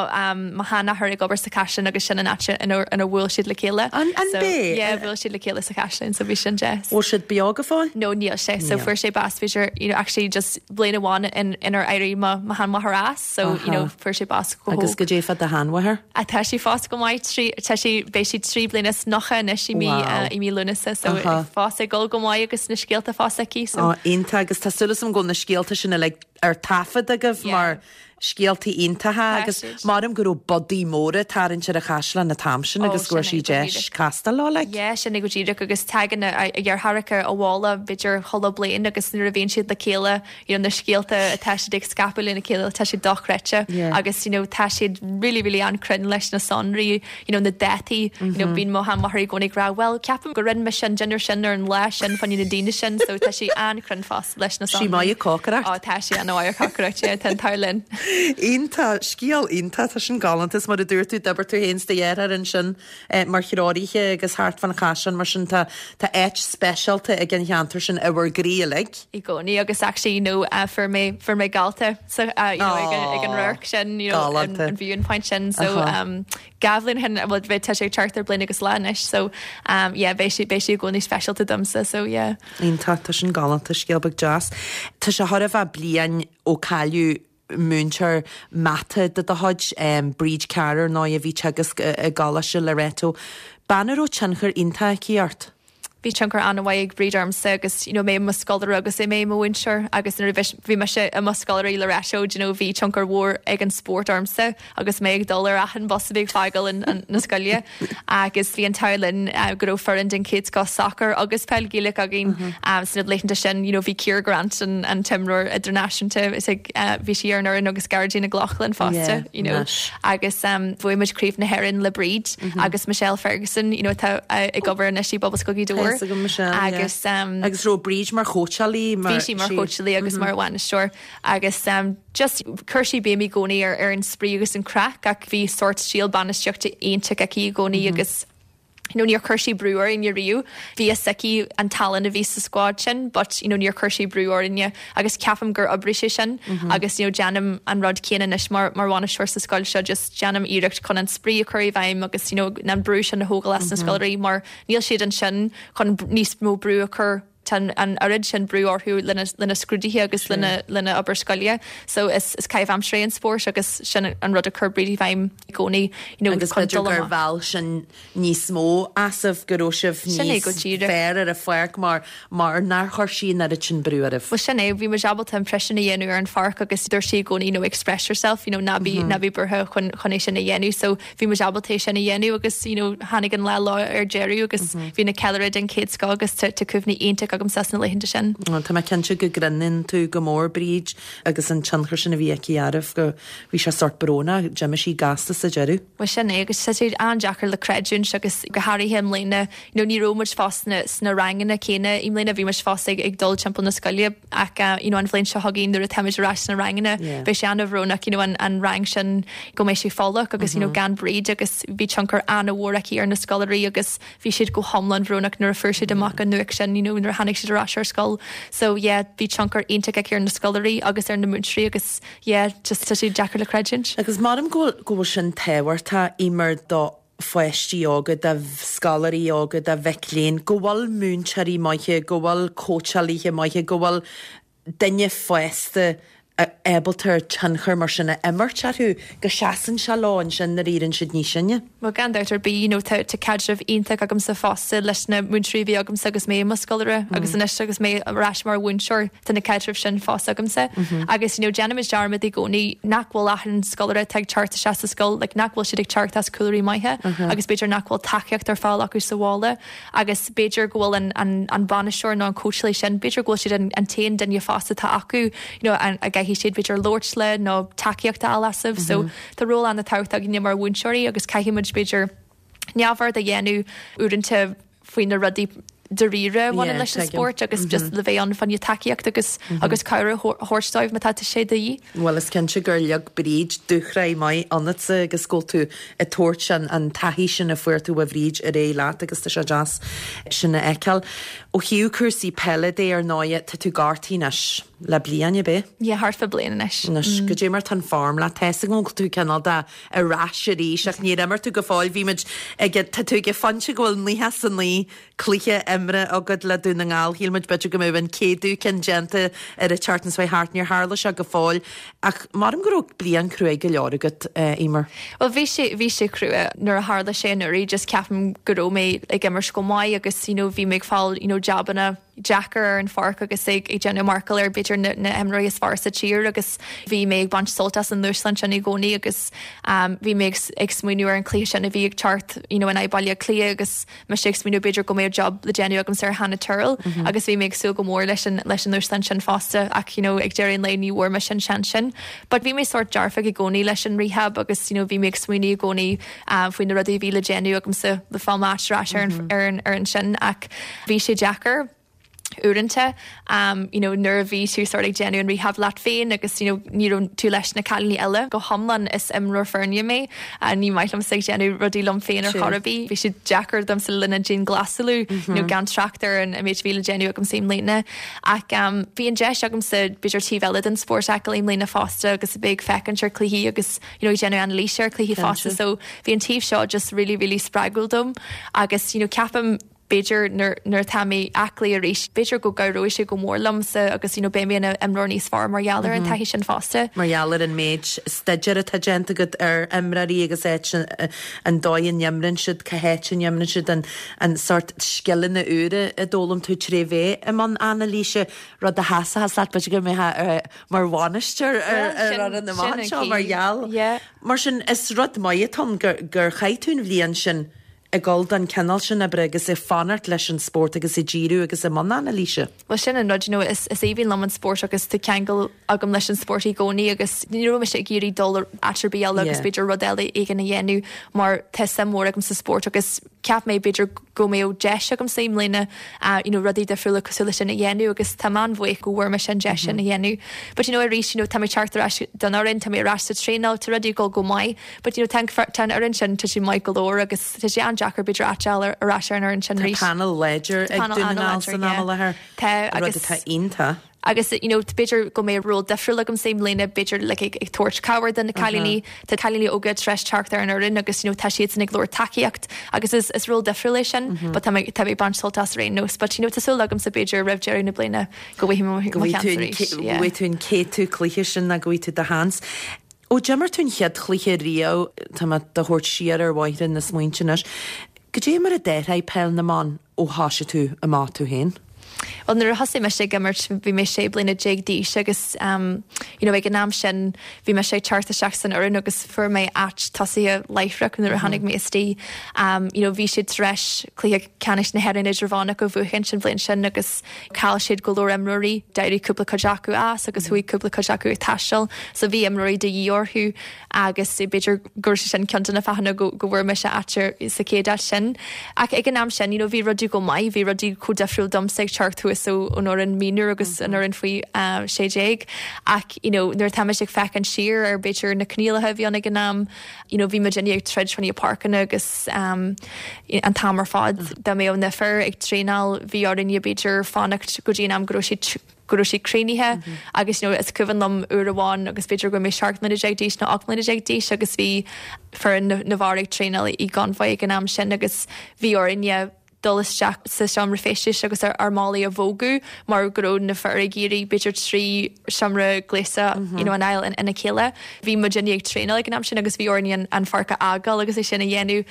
mo sheanathair ag obair sa Chaisleán agus sin an áit ina ina bhuail siad le chéile. An an So b'é? yeah bhuail siad le chéile sa Chaisleán so bhí sin deas. Bhfuil siad beo go fóill? No níl sé so Níl. fuair sé bás b'fhéidir you know actually just bliain amháin in inar éirigh mo mo sheanmháthair as so you know Aha. fuair sé bás go Agus hóg. goidé fá do sheanmháthair? Ah tá sí fós go maith trí tá sí beidh sí 93 anois i mí Wow. i mí Lúnasa so Aha. fós ag dul go maith agus na scéalta fós aici so. Ó iontach agus tá súil agam go bhfuil na scéalta sin uilig ar taifead agaibh mar scéaltaí iontacha agus maram go raibh bodaí móra ag tarraingt ar an chaisleán an t-am sin agus go raibh sí deis castáil leo like. Yeah, sin é go díreach agus tagann a dheartháireacha abhaile b'fhéidir chuile bliain agus nuair a bhíonn siad le chéile you know na scéalta atá siad ag scaipeadh lena chéile tá siad dochreidte agus you know tá siad really really an-chruinn leis na sonraí you know na dátaí you know bíonn mo sheanmháthair i gcónaí ag rá well ceapaim go rinne mise an dinnéar sin ar an lá sin fá choinne na daoine sin so tá sí an-chruinn fosta. leis na Sí maith ag cócaireacht. Á, tá sí an-mhaith ag cócaireacht, yeah, tá an t-ádh linn. Iontach, scéal iontach, tá sin galánta. Is mar a dúirt tú, d'oibir tú féin is do dheartháir ansin mar threoraithe agus thart fán chaisleán mar sin tá tá áit speisialta ag an cheantar sin i bhur gcroí uilig. I gcónaí agus actually you know fuair mé fuair mé galta sa you know ag an ag an radharc sin you know an Galánta. an viewing point sin so um 2 bhliain ó shin, bhuel beidh tá sé ag teacht ar bliain agus lá anois so um yeah beidh sé beidh sé i gcónaí speisialta domsa so yeah. Iontach, tá sin galánta, scéal beag deas. Tá sé chóir a bheith bliain ó cailleadh múinteoir mata de do chuid, Bríd Carr ar ndóigh a bhí ag teagasc i gColáiste Loreto. Bean a raibh tionchar iontach aici ort. Bhí tionchar an-mhaith ag Bríd ormsa agus you know mé i mo scoláire agus mé i mo mhúinteoir agus nuair a bhí mise i mo scoláire i Loreto do you know bhí tionchar mhór ag an spórt ormsa agus mé ag dul ar achan bus a bhí ag fágáil an na scoile agus bhí an t-ádh linn go raibh foireann den chéad scoth sacair agus peil Ghaelach againn sna laethanta sin you know bhí Ciara Grant an an t-imreoir idirnáisiúnta is ag bhí sí ar an fhoireann agus Gearóidín Nic Lochlainn fosta you know agus bhuaigh muid Craobh na hÉireann le Bríd agus Michelle Ferguson you know atá ag obair anois i bPobalscoil Ghaoth Dobhair. Tá 'fhios agam Michelle, yeah. Agus Agus raibh Bríd mar chóitseálaí mar Bhí sí mar chóitseálaí agus mar bhainisteoir agus just chuir sí béim i gcónaí ar ar an spraoi agus an craic ach bhí sórt stíl bainistíochta iontach aici i gcónaí agus you know níor chuir sí brú orainne riamh. Bhí fhios aici an tallann a bhí sa squad sin but you know níor chuir sí brú orainne agus ceapaim gur oibrigh sé sin agus you know déanaim an rud céanna anois mar mar bhainisteoir sa scoil seo just déanaim iarracht chun an spraoi a chur i bhfeidhm agus you know an brú sin a thógáil as na scoláirí mar níl siad ansin chun níos mó brú a chur tá an oiread sin brú orthu lena lena scrúduithe agus lena lena obair scoile so is is caitheamh aimsire é an spórt agus sin an rud a chuir Bríd i bhfeidhm i gcónaí you know Agus chun b'fhéidir dul gur amach. mheall sin níos mó asaibh go raibh sibh Sin é go níos díreach. fearr ar an pháirc mar mar nár chuir sí an oiread sin brú oraibh. Bhuel sin é, bhí muid ábalta an pressure a dhéanamh ar an pháirc agus dúirt sí i gcónaí you know express yourself you know ná bí ná bí buartha chun chun é sin a dhéanamh so bhí muid ábalta é sin a dhéanamh agus you know tháinig an lá leo ar deireadh agus bhí na ceiliúradh den chéad scoth agus tá tá cuimhní iontach agamsa as na laethanta sin. Tá mé cinnte go gcronaíonn tú go mór Bríd agus an tionchar sin a bhí aici oraibh go bhí sé sórt brónach, d'imigh sí gasta sa deireadh. Bhuel sin é agus tá sé an-deacair le creidiúint agus go háirithe i mbliana you know ní raibh muid fós sna sna ranganna céanna i mbliana bhí muid fós ag ag dul timpeall na scoile ach you know an bhliain seo chugainn nuair atá muid ar ais sna ranganna Yeah. beidh sé an-bhrónach you know an an rang sin go mbeidh sé folach agus you know gan Bríd agus bhí tionchar an-mhór aici ar na scoláirí agus bhí siad go hiomlán bhrónach nuair a fuair siad amach an nuacht sin you know nuair a tháinig siad ar ais ar scoil so yeah bhí tionchar iontach aici ar na scoláirí agus ar na múinteoirí agus yeah just tá sé deacair le creidiúint. Agus measaim go bhfuil go bhfuil sin tábhachtach, Eimear, do pháistí óga, do scoláirí óga, do mhic léinn, go bhfuil múinteoirí maithe, go bhfuil cóitseálaithe maithe, go bhfuil duine fásta ábalta tionchar mar sin a imirt orthu, go seasann sé leo ansin nuair a éiríonn siad níos sine. Bhuel, gan dabht ar bith, you know, tá tá caidreamh iontach agamsa fosta leis na múinteoirí a bhí agamsa agus mé i mo scoláire agus anois agus mé ar ais mar mhúinteoir, tá na caidrimh sin fós agamsa. Agus, you know, déanaimid dearmad i gcónaí nach bhfuil achan scoláire atá ag teacht isteach sa scoil, like, nach bhfuil siad ag teacht as cúlraí maithe agus b'fhéidir nach bhfuil tacaíocht ar fáil acu sa bhaile. Agus b'fhéidir go bhfuil an, an, an bainisteoir nó an cóitseálaí sin, b'fhéidir go bhfuil siad an, an t-aon duine fásta atá acu, you know, an, a gcaithfidh siad b'fhéidir labhairt le nó tacaíocht a fháil asaibh. So tá ról an-tábhachtach againne mar mhúinteoirí agus caithfidh muid b'fhéidir neamhaird a dhéanamh uaireanta. faoi na rudaí dáiríre a bhaineann leis an spórt agus just le bheith ann fá choinne tacaíocht agus agus cabhair a thabhairt dóibh má tá sé de dhíth. Bhuel is cinnte gur leag Bríd dúshraith maith ionatsa agus go bhfuil tú ag tabhairt an an taithí sin a fuair tú ó Bhríd ar aghaidh leat agus tá sé deas sin a fheiceáil. Ó thaobh cúrsaí peile de ar ndóighe tá tú gortaithe anois le bliain ab ea? Yeah, thart fá bliain anois. Anois, goidé mar tá an form leat, tá 'fhios agam go bhfuil tú cineál de ar ais arís ach níor imir tú go fóill. Bhí muid ag, tá tú ag an phointe go bhfuil 99 cluiche imeartha agat le Dún na nGall. Shíl muid b'fhéidir go mbeadh an céadú ceann déanta ar an tseachtain seo thart. Níor tharla sé go fóill ach maram go raibh bliain cruaidh go leor agat, Eimear. Bhuel bhí sé, bhí sé crua nuair a tharla sé anuraidh just ceapaim go raibh mé ag imirt go maith agus you know bhí mé ag fáil you know jabanna deacair ar an pháirc agus ag déanamh marcáil ar b'fhéidir na himreoirí is fearr sa tír agus bhí mé ag baint sult as an ndúshlán sin i gcónaí agus bhí mé ag smaoineamh ar an chluiche sin a bhí ag teacht you know in aghaidh Baile Átha Cliath agus mise ag smaoineamh b'fhéidir go mbeadh job le déanamh agamsa ar Hannah Tyrrell agus bhí mé ag súil go mór leis an leis an ndúshlán sin fosta ach you know ag deireadh an lae ní bhfuair mise an seans sin. But bhí mé sórt dearfach i gcónaí leis an rehab agus you know bhí mé ag smaoineamh i gcónaí faoi na rudaí a bhí le déanamh agamsa le fáil m'áit ar ais ar an ar an fhoireann sin ach bhí sé deacair uaireanta you know nuair a bhí tú sort ag déanamh an rehab leat féin agus you know ní raibh tú leis na cailíní eile. Go hiomlán is imreoir foirne mé, ní maith liomsa ag déanamh rudaí liom féin ar chor ar bith. Bhí sé deacair domsa le linn an dianghlasáil you know gan trácht ar an méid a bhí le déanamh agamsa i mbliana. Ach bhí an deis agamsa b'fhéidir taobh eile den spórt a fheiceáil i mbliana fosta agus a bheith ag féachaint ar cluichí agus you know ag déanamh anailíse ar cluichí fosta so bhí an taobh seo just really really spreagúil dom agus you know ceapaim b'fhéidir nuair nuair atá mé aclaí arís b'fhéidir go gcabhróidh sé go mór liomsa agus you know beidh mé ina imreoir níos fearr mar gheall ar an taithí sin fosta. Mar gheall ar an méid staidéir atá déanta agat ar imreoirí agus áit an dóigh a n-imríonn siad, cá háit a n-imríonn siad, an an sórt scileanna úra a d'fhoghlaim tú tré bheith i mbun anailíse, rud a sheasfas leat b'fhéidir go mbeifeá mar bhainisteoir ar fhoireann amach anseo mar gheall. Mar sin, is rud maith atá ann gur chaith tú an bhliain sin ag dul don chineál sin oibre agus ag fanacht leis an spórt agus ag díriú agus i mbun anailíse. Bhuel sin an rud, you know, is aoibhinn liom an spórt agus tá ceangal agam leis an spórt i gcónaí agus ní raibh mise ag iarraidh dul áit ar bith eile agus b'fhéidir rud eile éigin a dhéanamh mar tá suim mhór agam sa spórt agus Cheap mé b'fhéidir go mbeadh deis agamsa i mbliana you know rudaí difriúla cosúil leis sin a dhéanamh agus tá mé an-bhuíoch go bhfuair mise an deis sin a dhéanamh. But you know arís you know tá mé ag teacht ar ais don fhoireann, tá mé ar ais sa traenáil, tá rudaí ag dul go maith but you know tá an tá an fhoireann sin tá sé maith go leor agus tá sé an-deacair b'fhéidir áit a fháil ar ais ar an fhoireann sin Tá arís. panel láidir Tá ag panel Dún na Ngall an-láidir, san am yeah. i láthair, Tá rud agus atá iontach. Agus you know b'fhéidir go mbeidh ról difriúil agamsa i mbliana, b'fhéidir like ag ag tabhairt cabhair do na cailíní. Tá cailíní óga tar éis teacht ar an fhoireann agus you know tá siadsan ag lorg tacaíocht agus is is ról difriúil é sin but tá mé tá mé ag baint sult as ar aon nós. But you know tá súil agamsa b'fhéidir roimh deireadh na bliana go bhfaighidh mé mo Go mo bhfaighidh sheans tú an arís. go Yeah. bhfaighidh tú an céadú cluiche sin nó go bhfaighidh tú do sheans. Ó d'imir tú an chéad chluiche riamh, tá mé do thabhairt siar ar bhóithre na smaointe anois, goidé mar a d'athraigh peil na mban ó thoisigh tú amach tú féin? Bhuel nuair a thosaigh mise ag imirt bhí mé 16 bliana d'aois agus um you know ag an am sin bhí mise ag teacht isteach san fhoireann agus fuair mé áit tosaithe láithreach nuair a tháinig mé istigh. Um you know bhí siad tar éis cluiche ceannais na hÉireann idirmheánach a bhuachaint an bhliain sin agus chaill siad go leor imreoirí, d'éirigh cúpla cuid acu as agus chuaigh cúpla cuid acu ag taisteal so bhí imreoirí de dhíth orthu agus b'fhéidir go raibh sé sin ceann de na fáthanna go go bhfuair mise áit sa chéad áit sin. Ach ag an am sin you know bhí rudaí go maith, bhí rudaí chomh difriúil domsa ag teacht thuas ón fhoireann mionúr agus an fhoireann faoi 16 ach you know nuair atá mise ag féachaint siar ar b'fhéidir na coinníollacha a bhí ann ag an am, you know bhí muidinne ag troid fá choinne páirceanna agus um an t-am ar fad dá mbeadh na fir ag traenáil bhí orainne b'fhéidir fanacht go dtí an am go raibh siad go raibh siad críochnaithe agus you know is cuimhin liom uair amháin agus b'fhéidir go raibh mé 17 mbliana d'aois nó 18 mbliana d'aois agus bhí foireann na bhfear ag traenáil i gConvoy ag an am sin agus bhí orainne dul isteach sa seomra feistis agus ár málaí a bhogadh mar go raibh na fir ag iarraidh b'fhéidir 3 seomra gléasta you know a fháil ina chéile. Bhí muidinne ag traenáil ag an am sin agus bhí orainn an pháirc a fhágáil agus é sin a dhéanamh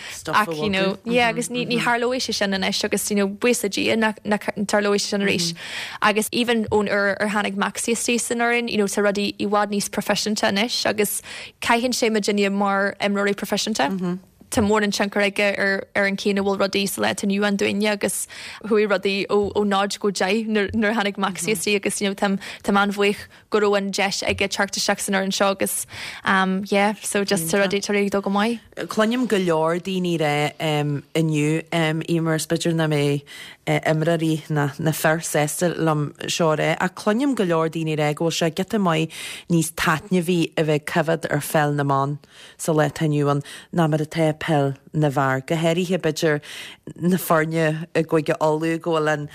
ach you know yeah agus ní ní tharlóidh sé sin anois agus you know buíochas le Dia nach nach dtarlóidh sé sin arís. Agus even ón uair ar tháinig Maxi istigh san fhoireann you know tá rudaí i bhfad níos proifisiúnta anois agus caitheann sé muidinne mar imreoirí proifisiúnta. tá mórán tionchar aige ar ar an chaoi ina bhfuil rudaí sa lá atá inniu ann dúinne agus chuaigh rudaí ó ó 0 go 10 nuair nuair a tháinig Maxi istigh agus you know táim táim an-bhuíoch go raibh an deis aige teacht isteach san fhoireann seo agus um yeah so just tá rudaí tá rudaí ag dul go maith. Cluinim go leor daoine ag rá inniu Eimear is b'fhéidir nach mbeidh imreoirí ná na fir sásta liom seo a rá ach cluinim go leor daoine ag rá go bhfuil sé giota maith níos taitneamhaí a bheith ag coimhéad ar pheil na mban sa lá atá inniu ann ná mar atá peil na bhfear, go háirithe b'fhéidir na foirne i gCúige Uladh go bhfuil an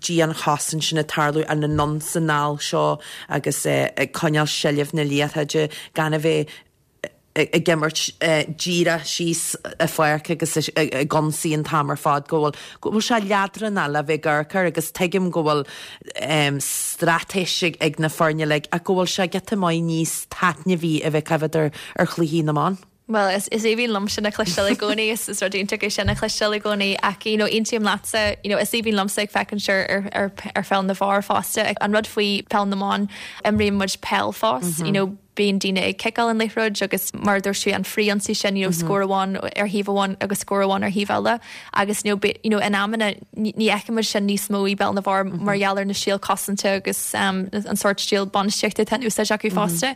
dianchosaint sin ag tarlú, an anonn 's anall seo agus ag coinneáil seilbh na liathróide gan a bheith ag imirt díreach síos an pháirc agus ag ionsaí an t-am ar fad, go bhfuil go bhfuil sé leadránach le bheith ag amharc air agus tuigim go bhfuil straitéis ag na foirne uilig ach go bhfuil sé giota maith níos taitneamhaí a bheith ag coimhéad ar chluichí na mban. Bhuel, is is aoibhinn liom sin a chloisteáil i gcónaí, is is rud iontach é sin a chloisteáil i gcónaí ach you know aontaím leatsa, you know is aoibhinn liomsa ag féachaint ar ar ar ar pheil na bhfear fosta. An rud faoi peil na mban, imríonn muid peil fós, you know bíonn daoine ag ciceáil an liathróid agus mar a dúirt tú an frith-ionsaí sin, you know scór amháin ar thaobh amháin agus scór amháin ar thaobh eile agus you know you know in amanna ní fheiceann muid sin níos mó i bpeil na bhfear mar gheall ar na stíl cosanta agus an sórt stíl bainistíochta atá in úsáid acu fosta.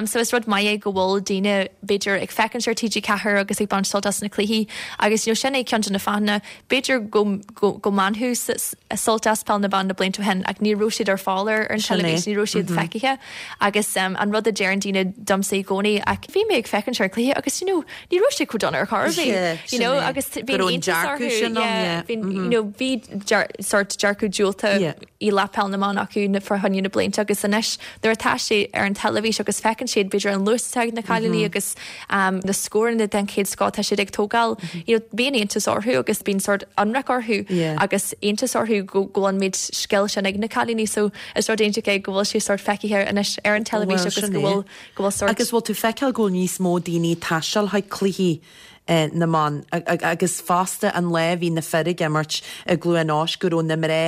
So is rud maith é go bhfuil daoine b'fhéidir ag féachaint ar TG4 agus ag baint sult as na cluichí agus you know sin é ceann de na fáthanna b'fhéidir go go go mbainfeadh sult as peil na mban na blianta ó shin ach ní raibh siad ar fáil ar an teilifís, ní raibh siad feicthe agus an rud a deireann daoine domsa i gcónaí ach bhí mé ag féachaint ar an cluiche agus you know ní raibh sé chomh dona ar chor ar bith you know agus bhí iontas orthu yeah bhí you know bhí sort dearcadh diúltach i leith peil na mban acu na fá choinne na blianta agus anois nuair atá sé ar an teilifís agus feiceann siad b'fhéidir an luas atá ag na cailíní agus na scóranna den chéad scoth atá siad ag tógáil you know bíonn iontas orthu agus bíonn sort ionrach orthu agus iontas orthu go go bhfuil an méid scil sin ag na cailíní so is rud iontach é go bhfuil sé sort feicthe anois ar an teilifís agus go bhfuil go bhfuil sort. Agus bhfuil tú feiceáil go bhfuil níos mó daoine ag taisteal chuig cluichí na mban agus fosta an lá a bhí na fir ag imirt i gCluain Eois go raibh na mná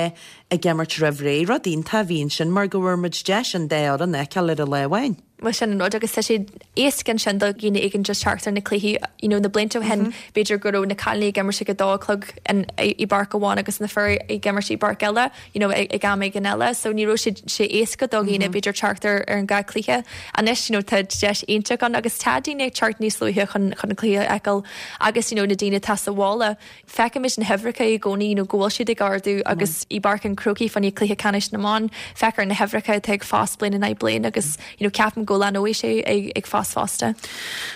ag imirt roimh ré. Rud iontach a bhí ansin mar go bhfuair muid deis an dá fhoireann a fheiceáil ar an lá amháin. Bhuel sin an rud agus tá sé éasca ansin do dhaoine éigin just teacht ar na cluichí you know na blianta ó shin b'fhéidir go raibh na cailíní ag imirt ag a dó a chlog i bpáirc amháin agus na fir ag imirt i bpáirc eile. you know, ag am éigin eile, so ní raibh sé sé éasca do dhaoine b'fhéidir teacht ar ar an dhá cluiche. Anois, you know, tá deis iontach ann agus tá daoine ag teacht níos luaithe chun chun an cluiche a fheiceáil agus, you know, na daoine atá sa bhaile, feicimid na huimhreacha i gcónaí, you know, go bhfuil siad ag ardú agus i bPáirc an Chrócaigh fá choinne cluiche ceannais na mban, feictear na huimhreacha atá ag fás bliain in aghaidh bliain agus, you know, ceapaim go leanóidh sé ag ag fás fosta.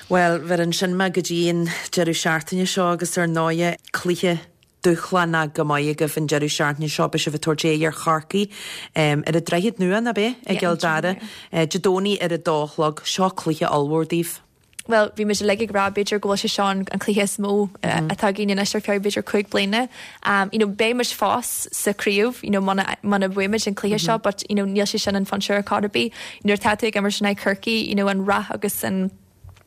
Bhuel, bheir ansin mé go dtí an deireadh seachtaine seo agus ar ndóighe cluiche dúshlánach go maith agaibh an deireadh seachtaine seo. Beidh sibh ag tabhairt aghaidh ar Chorcaigh ar an Droichead Nua, nach ea? I gCill Dara. Dé Domhnaigh ar a dó a chlog. Seo cluiche ollmhór daoibh. Bhuel, bhí muid uilig ag rá b'fhéidir go bhfuil sé seo an cluiche is mó atá againn anois ar feadh b'fhéidir 5 bliana. You know, beidh muid fós sa chraobh, you know, muna muna bhuaimid an cluiche seo but, you know, níl sé sin an pointe ar chor ar bith. Nuair atá tú ag imirt in aghaidh Chorcaí, you know, an rath agus an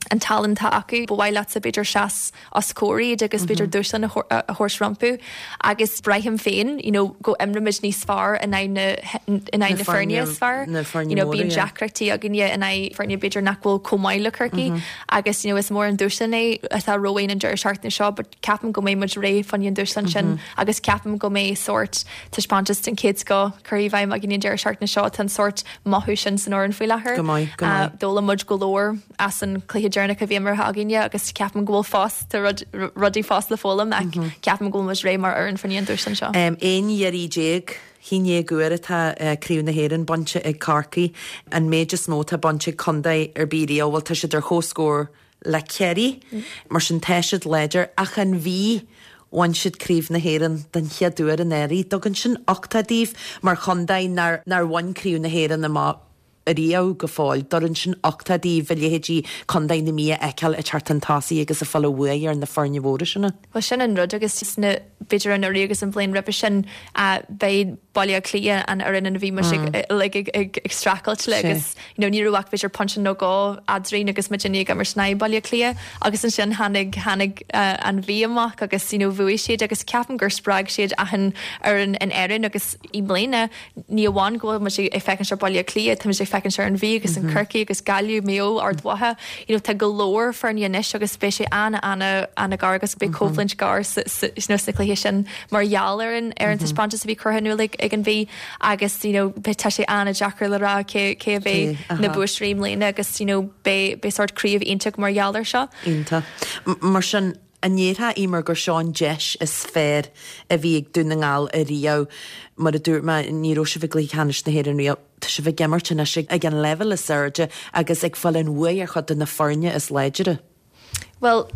an tallann atá acu. Ba mhaith leatsa b'fhéidir seas os comhair iad agus b'fhéidir dúshlán a thabhairt rompu agus braithim féin you know go imreoimid níos fearr in aghaidh na in aghaidh na foirne is fearr. You know bíonn deacrachtaí againne in aghaidh foirne b'fhéidir nach bhfuil chomh maith le Corcaigh agus you know is mór an dúshlán é atá romhainn an deireadh seachtaine seo but ceapaim go mbeidh muid réidh fá choinne an dúshlán sin agus ceapaim go mbeidh sórt taispeántas den chéad scoth curtha i bhfeidhm againn an deireadh seachtaine seo. Tá an sórt mothú sin san fhoireann faoi láthair. Go maith, go maith. D'fhoghlaim muid go leor as an cluiche deireanach a bhí imeartha againne agus ceapaim go bhfuil fós, tá rud, rudaí fós le foghlaim ach ceapaim go bhfuil muid réidh mar fhoireann fá choinne an dúshlán seo. 11 iarraidh, 11 uair atá Craobh na hÉireann bainte ag Corcaigh, an méid is mó atá bainte ag contae ar bith riamh. Bhuel, tá siad ar comhscór le Ciarraí, mar sin tá siad láidir ach an Mhí, bhain siad Craobh na hÉireann den chéad uair anuraidh. Tugann sin uchtach daoibh mar chontae nár nár bhain Craobh na hÉireann amach riamh go fóill. Tugann sin uchtach daoibh a leithéidí Contae na Mí a fheiceáil ag teacht chun tosaigh agus ag fáil a bhuaidh ar na foirne mhóra sin. Bhuel sin an rud agus sna, b'fhéidir anuraidh agus an bhliain roimhe sin, b'é Baile Átha Cliath an fhoireann ina bhí muid ag ag ag streachailt le agus you know ní raibh ach b'fhéidir pointe nó dhó eadrainn agus muidinne ag imirt in aghaidh Baile Átha Cliath agus ansin tháinig tháinig an Mhí amach agus you know bhuaigh siad agus ceapaim gur spreag siad achan fhoireann in Éirinn agus i mbliana ní amháin go bhfuil muid ag féachaint ar Baile Átha Cliath, tá muid ag féachaint. féachaint ar an Mhí agus an Corcaigh agus Gaillimh, Maigh Eo, Ard Mhacha, you know tá go leor foirne anois agus beidh sé ana ana ana-ghar agus beidh coimhlint ghearr sa sa you know sna cluichí sin mar gheall ar an ar an taispeántas a bhí curtha in iúl ag ag an Mhí agus you know beidh tá sé ana-deacair le rá cé cé a bheidh na buaiteoirí i mbliana agus you know beidh beidh sórt craobh iontach mar gheall air seo. Iontach. Mar sin, an ndéarfá, Eimear, gur seo an deis is fearr a bhí ag Dún na nGall ariamh? Mar a dúirt mé, ní raibh sibh i gcluiche ceannais na hÉireann riamh. Tá sibh ag imirt anois ag an leibhéal is airde agus ag fáil an bhuaidh ar chuid de na foirne is láidre. Bhuel,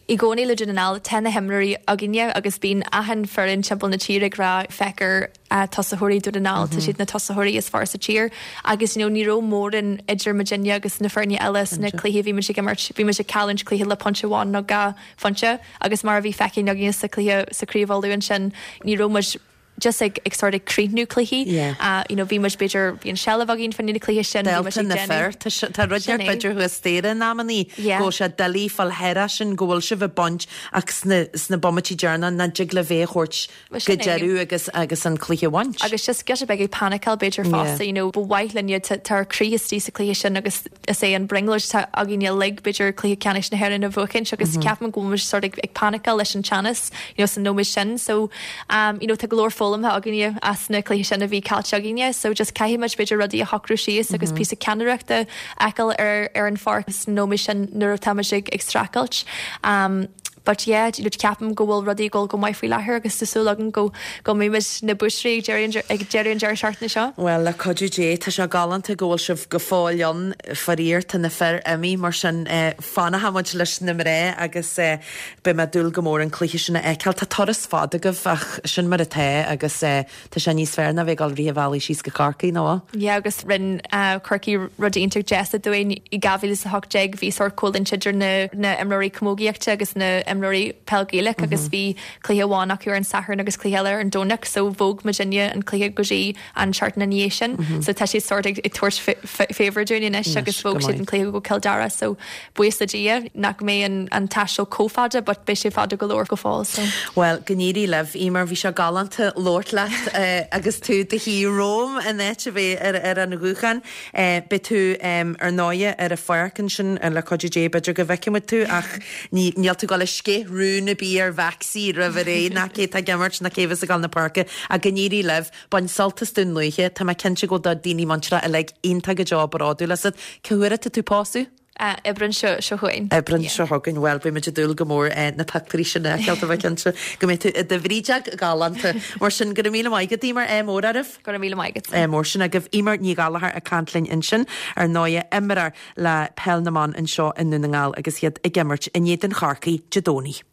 i gcónaí le Dún na nGall, tá na himreoirí againne agus bíonn achan foireann timpeall na tíre ag rá féach ar tosaitheoirí Dún na nGall, tá siad na tosaitheoirí is fearr sa tír agus you know ní raibh mórán idir muidinne agus na foirne eile sna cluichí a bhí muid ag imirt. Bhí muid ag cailliúint cluiche le pointe amháin nó dhá phointe agus mar a bhí feicthe againne sa chluiche sa Chraobh Uladh ansin ní raibh muid just ag ag sort ag críochnú cluichí. Yeah. You know bhí muid b'fhéidir bhí an seilbh againn fá choinne na cluiche sin, bhí muid Dálta ag na déanamh. fir, tá sé tá rud Sin inteacht é. b'fhéidir thuas staighre in amannaí Yeah. go bhfuil sé doiligh fáil thairis sin go bhfuil sibh ag baint ach sna sna bomaití deireanacha nach dtig libh é a thabhairt Bhuel go sin é. deireadh agus agus an cluiche a bhaint. Agus just giota beag ag paniceáil b'fhéidir Yeah. fosta, you know, ba mhaith linne tá tá ár croí istigh sa chluiche sin agus is é an brionglóid atá againne uilig b'fhéidir cluiche ceannais na hÉireann a bhuachaint agus ceapaim go bhfuil muid sort ag ag paniceáil leis an teannas you know san nóiméad sin so um you know tá go leor foghlamtha againne as na cluichí sin a bhí caillte againne so just caithfidh muid b'fhéidir rudaí a shocrú síos agus píosa ceannaireachta a fheiceáil ar ar an pháirc san nóiméad sin nuair atá muid ag ag streachailt um But yeah, you know, ceapaim go bhfuil rudaí ag dul go maith faoi láthair agus tá súil agam go go mbeidh muid na buaiteoirí ag deireadh an ag deireadh an deireadh seachtaine seo. Bhuel, le cuidiú Dé, tá sé galánta go bhfuil sibh go fóill ann. Faraor, tá na fir imithe, mar sin fanfaidh muid leis na mná agus beidh mé ag dúil go mór an cluiche sin a fheiceáil. Tá turas fada agaibh ach sin mar atá agus Tá sé níos fearr ná bheith ag dul rith an bhealaigh síos go Corcaigh, nó? Yeah agus rinne Corcaigh rud iontach deas dúinn i 2018 bhí sórt coimhlint idir na na imreoirí camógaíochta agus na imreoirí peil Gaelach agus bhí cluiche amháin acu ar an Satharn agus cluiche eile ar an Domhnach so bhog muidinne an cluiche go dtí an tseachtain ina dhiaidh sin so tá siad sórt ag tabhairt favour dúinn anois agus bhog siad an cluiche go Cill Dara so Buíochas le Dia nach mbeidh an an taisteal chomh fada but beidh sé fada go leor go fóill so. Bhuel, go n-éirí libh, Eimear. Bhí sé galánta labhairt leat agus tú do shuí romham in áit a bheith ar ar an ghuthán. Beidh tú ar ndóighe ar an pháirc ansin le cuidiú Dé, b'fhéidir go bhfeicfidh muid tú ach ní níl tú ag dul ag sceith rún ar bith ar Mhaxie roimh ré ná cé tá ag imirt ná cé bheas ag dul na páirce ach go n-éirí libh. Bain sult as Dún Lúiche. Tá mé cinnte go bhfuil do daoine muinteartha uilig iontach go deo bródúil asat. Cá huair atá tú ag pósadh? Aibreán seo chugainn. Aibreán seo chugainn. Bhuel, beidh muid ag dúil go mór na pictiúirí sin a fheiceáil, tá mé cinnte go mbeidh tú i do bhrídeog ghalánta. Mar sin, go raibh míle maith agat, Eimear, ádh mór oraibh. Go raibh míle maith agat. Ádh mór sin agaibh. Eimear Ní Ghallchóir ag caint linn ansin, ar ndóighe, imreoir le Peil na mBan anseo i nDún na nGall agus iad ag imirt in éadan Chorcaí Dé Domhnaigh.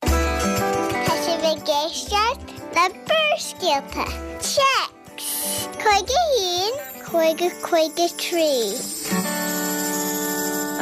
Tá sibh ag éisteacht le Barrscéalta. Téacs 51 50 53.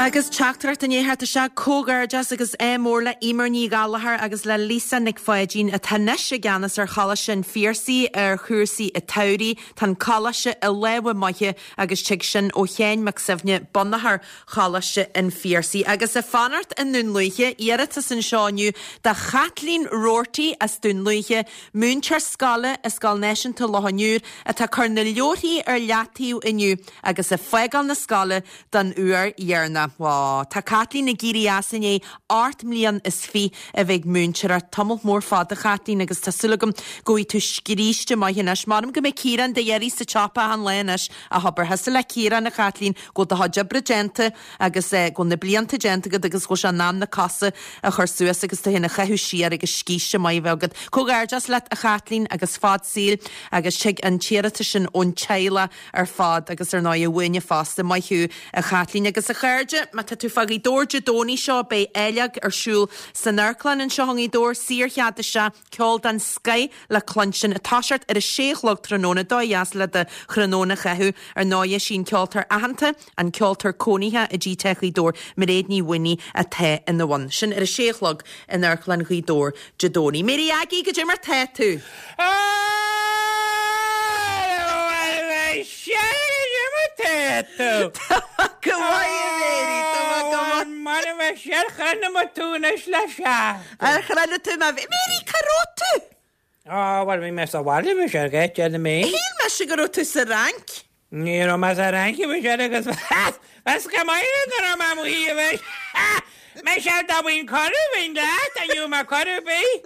Agus teachtaireacht i ndiaidh theacht isteach, Comhghairdeas agus ádh mór le Eimear Ní Ghallchóir agus le Lisa Nic Pháidín atá anois i gceannas ar Choláiste an Phiarsaigh ar chúrsaí an tsamhraidh. Tá an Coláiste i lámha maithe agus tig sin ó Sheáin Mac Suibhne, bunaitheoir Choláiste an Phiarsaigh. Agus ag fanacht i nDún Lúiche, iarratas anseo inniu do Chaitlín Roarty as Dún Lúiche, múinteoir scoile i Scoil Náisiúnta Loch an Iúir, atá ag cur na leabharthaí ar leataobh inniu agus ag fágáil na scoile don uair dheireanach. Ó, tá Caitlín ag éirí as i ndiaidh 28 mbliain is a bheith ag múinteoireacht. Tamall mór fada, a Chaitlín, agus tá súil agam go bhfaighidh tú scríste maith anois. M'anam go mbeidh Ciarán do iarraidh sa tsiopa achan lá anois a hobair. Thosaigh le Ciarán, a Chaitlín, go bhfuil do chuid oibre déanta agus go bhfuil na blianta déanta agat agus go bhfuil sé in am na cosa a chur suas agus tú féin a chaitheamh siar agus scíste maith a bheith agat. Comhghairdeas leat, a Chaitlín, agus fad saoil agus tig an t-iarratas sin ón teaghlach ar fad agus ar ndóigh uainne fosta. Maith thú, a Chaitlín. Agus a chairde, má tá tú fá Ghaoth Dobhair Dé Domhnaigh seo beidh áilleog ar siúl san Amharclann anseo i nGaoth Dobhair, saorchead isteach. Ceol den scoith le cluinstin ag toiseacht ar a sé a chlog tráthnóna, dóigh dheas le do thráthnóna a chaitheamh. Ar ndóighe, sí an ceoltóir aitheanta, an ceoltóir cónaithe i dTigh Tae Ghaoth Dobhair, Mairéad Ní Mhaonaigh atá ina bhun. Sin ar a sé a chlog in Amharclann Ghaoth Dobhair Dé Domhnaigh. Mary Aggie, goidé mar tá tú? Tá mé go maith, a Mary, tá mé go maith. Ar chronaigh tú mé? Mary, cá raibh tú? Á, bhuel, bhí mé sa bhaile, bhí sé ar gheit ar na mé. Shíl mise go raibh tú sa Fhrainc. Ní raibh mé sa Fhrainc a Mhichelle agus bheas go maith nuair a raibh mé amuigh a Mhichelle. Michelle dá bhfuil cuireadh bhinn leat, an bhfuil mé cuireadh ar bith?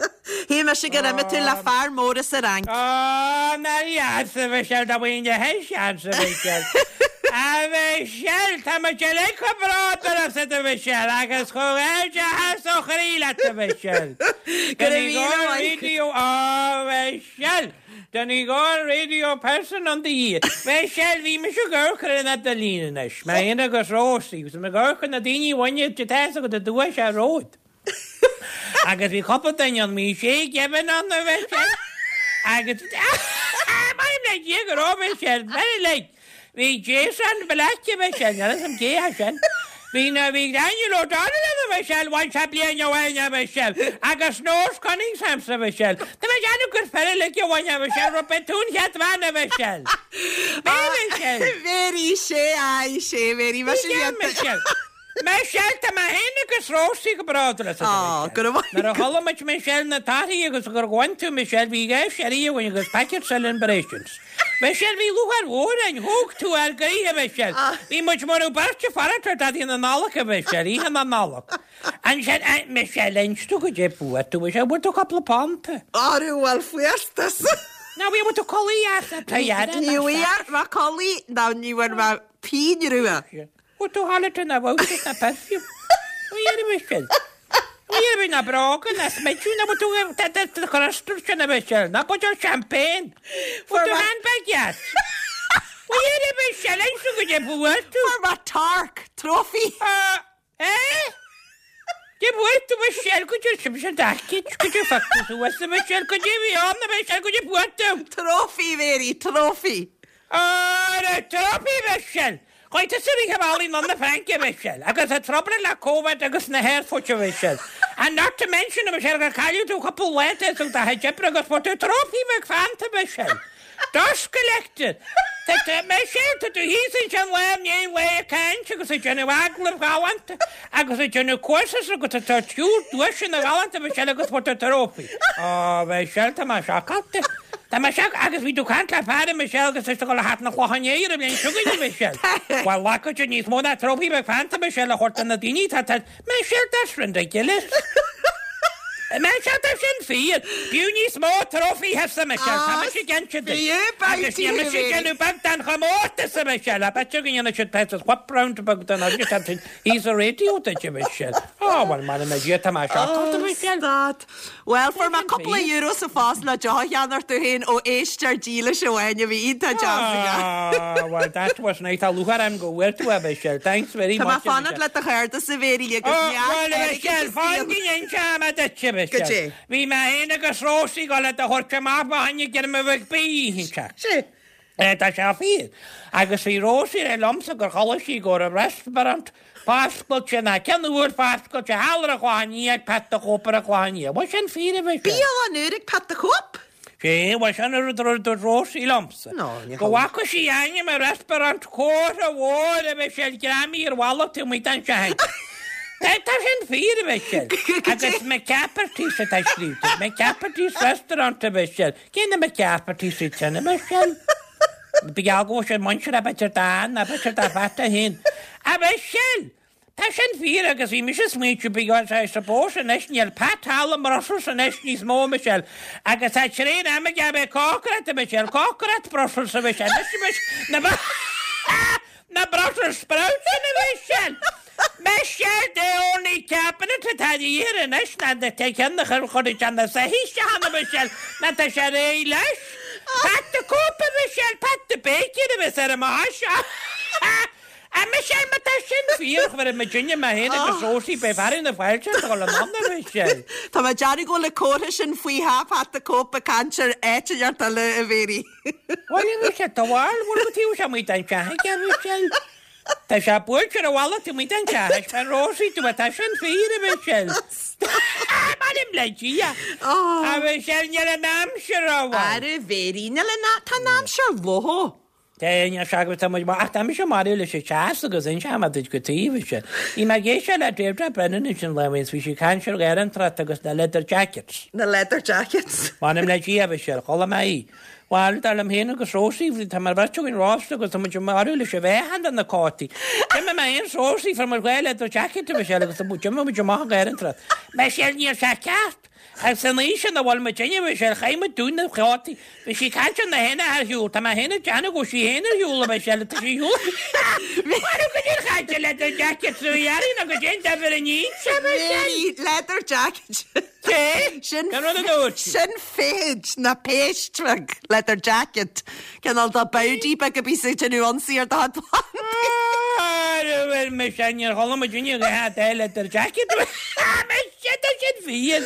Shíl mise gur imigh tú le fear mór as an Fhrainc. Ó, nár dheas a Mhichelle dá bhfuil le seans a Mhichelle. A Mhichelle, tá muid uilig chomh bródúil asat a Mhichelle agus comhghairdeachas ó chroí leat a Mhichelle. Go raibh míle maith. Radio, a Mhichelle! Donegal Radio Person on the Year. Michelle, bhí mise ag amharc ar an idirlíon anois, mé féin agus Rósaí, agus mé ag amharc ar na daoine a bhain an tá a fhios agat an duais ar ród. Agus bhí cúpla duine ann, bhí Shay Given ann a Mhichelle, agus Maím le Dia go raibh Michelle, very like. Bhí Jason Black a Mhichelle, níl a fhios agam cé hé sin. Bhí na, bhí Daniel O'Donnell ann a Mhichelle, bhain sé bliain amháin a Mhichelle, agus Nora Cunningham a Mhichelle. Tá mé ag déanamh gur fear uilig a bhain a Mhichelle, raibh beidh tú an chéad bhean a Mhichelle. B'é Michelle. Mary, sé, aye, sé, Mary, mise Michelle. Michelle, tá mé féin agus Rósaí go bródúil asat, a Mhichelle. Nuair a chuala muid Michelle na torthaí agus gur bhain tú Michelle, bhí gá sherry againn agus packet celebrations. Michelle, bhí lúcháir mhór orainn, thóg tú ár gcroíthe, a Mhichelle. Bhí muid mar a bheadh beirt ag fanacht ar Daidí na Nollag, a Mhichelle, oíche na Nollag. Ansin, Michelle, inis domh goidé fuair tú, Michelle, bhfuair tú cúpla punt? Arú, bhuel, fuair tusa. Ná bhí, bhfuair tú culaith dheas, Ní bhfuair mé culaith ná ní bhfuair mé pingin rua. Bhfuair tú holiday ná vouchers ná perfume. Bhí ar Michelle. Bhí ar ná bróga ná smideadh ná bhfuair tú tá crystal sin a Michelle ná buidéal champagne. Fuair tú handbag dheas. Bhí ar Michelle inis domh goidé fuair tú. Fuair mé torc, trophy. Eh? Goidé fuair tú Michelle goidé sin sin d'aicid goidé fuck tú suas a Michelle goidé bhí ann a Michelle goidé fuair tú. Trophy Mary, trophy. Ara trophy Michelle! Chuaigh tusa ag rith an bhealaigh anonn na Fraince, a Mhichelle, agus an trouble le Covid agus na haerfoirt, a Mhichelle. And not to mention, a Mhichelle, gur cailleadh tú cúpla lá de do chuid oibre agus fuair tú trophy bheag Fanta, a Mhichelle. Dust collector! Tá tú, Michelle, tá tú thíos ansin lá i ndiaidh lae ag caint agus ag déanamh agallaimh ghalánta agus ag déanamh courses agus tá tú ag tabhairt duaiseanna galánta, a Mhichelle, agus fuair tú trophy. Ó, a Mhichelle, tá mé seacáilte. Tá mé seac, agus bhí tú ag caint le fear, a Michelle, agus is ag dul a theacht na Clochán Léith ar an bhliain seo chugainn, a Michelle. Bhuel, glacann sé níos mó ná trophy bheag Fanta, Michelle, a thabhairt do na daoine, tá, tá, Michelle, that's ridiculous. Michelle, tá sin fíor. B'fhiú níos mó trophy-thesa, Michelle, tá mise ag inse duit. Agus níl mise ag déanamh beag den chomórtas, a Michelle, I bet you go ndéanfaidh siad píosa whip round beag den agus tá sin thíos sa radio duit, a Michelle. Ó, bhuel, m'anam le Dia, tá mé seacáilte, Michelle. Stad. Bhuel, fuair mé cúpla euro sa phost le deoch a cheannacht domh féin ó éisteoir dílis amháin a bhí iontach deas aige. Ah, well, that was nice. Tá lúcháir orm go bhfuair tú é, Michelle. Thanks very Tá mé much, ag fanacht le do chairdeas, a Mhéirí, agus Oh, neart well, airgid Michelle, sa fan saol. go n-inseoidh mé duit, a Goidé? Michelle. Bhí mé féin agus Rosie ag dul do thabhairt amach fá choinne greim bheag bídh oíche inteacht. Sé. Tá sé fíor. Agus bhí Rosie ag rá liomsa gur chuala sí go raibh restaurant foscailte ná ceann úr foscailte thall ar an Chlochán Liath ag Pat the Cope ar an Chlochán Liath. Bhuel sin fíor a Mhichelle. Bialann úr ag Pat the Cope? Sé, bhuel sin an rud a dúirt Rosie liomsa. No, ní Go bhfaca sí ainm an restaurant comhartha mhór a Mhichelle greamaithe ar bhalla taobh amuigh den teach. Tá sin fíor a Mhichelle. Agus McCafferty's atá scríofa. McCafferty's Restaurant a Mhichelle. Cé na McCaffertys iad sin, a Mhichelle? Ba gheall go bhfuil siad muinteartha b'fhéidir d'Ann, ná b'fhéidir do Phat é féin. A Mhichelle! Tá sin fíor agus bhí mise ag smaointiú because I suppose anois níl Pat thall i mBrussels anois níos mó, a Mhichelle, agus tá tréan ama aige a bheith ag cócaireacht, a Mhichelle, cócaireacht Brussels, a Mhichelle, anois a Mhichelle, na Na Brussels sprouts a Mhichelle! Michelle, the only cabinet atá de dhíth air anois ná na ceann a chuir chuir sé na soithí isteach ann a Mhichelle, ná tá sé réidh leis. Pat the Cope a Mhichelle, Pat the Baker a bheas ar an mbás seo. A Mhichelle, má tá sin fíor, chuir muidinne, mé féin agus Rosie, beidh fearadh na fáilte ort a dhul anonn a Mhichelle. Tá mé ag déanamh go bhfuil an comhartha sin faoi theach Pat the Cope ag caint ar áit inteacht eile a Mhéirí. Bhuel, a Mhichelle, tá bhal, bhfuil go taobh sé amuigh den teach aige, a Mhichelle. Tá sé buailte ar an bhalla taobh amuigh den teach, thaispeáin Rosie dom é, tá sin fíor, a Mhichelle. M'anam le Dia. A Mhichelle, níl an aimsir rómhaith. Ara, a Mhéirí, níl an, tá an aimsir lofa. Tá a fhios agat tá muid maith ach tá mise marbh leis an teas agus inseoidh mé duit cad tuige a Mhichelle. Bhí mé ag éisteacht le Deirdre Brennan ansin lá amháin is bhí sí ag caint ar gharrantracht agus na leather jackets. Na leather jackets. M'anam le Dia a Mhichelle, chuala mé í. Bhuel, dar liom féin agus Rosie, tá mar bheirt againn rósta agus tá muid marbh leis an mheáchan de na cótaí. D'imigh mé féin is Rosie, fuair muid 2 leather jacket a Mhichelle agus d'imigh muid amach an gharrantracht. Michelle, níl sé ceart! Agus san aois ina bhfuil muid inniu, Michelle, chaith muid dún na cótaí. Bhí sí ag caint ar na héin ar shiúl, tá mé féin ag déanamh go bhfuil sí féin ar shiúl a Michelle, tá sí ar shiúl. Mara go dtí an chaint ar leather jacket, so dhearfainn nó go dtéann duibhir in inse, Michelle. Mary, leather jacket. Cé? Sin, Cén rud a dúirt sí? sin feithid ná péist bheag, leather jacket. Cineál de bowdie beag a bhíos ag déanamh ionsaí ar do chuid plandaí. Ara bhuel Michelle, níor chuala muid inniu a dhath de leather jacket. Michelle, tá sin fíor.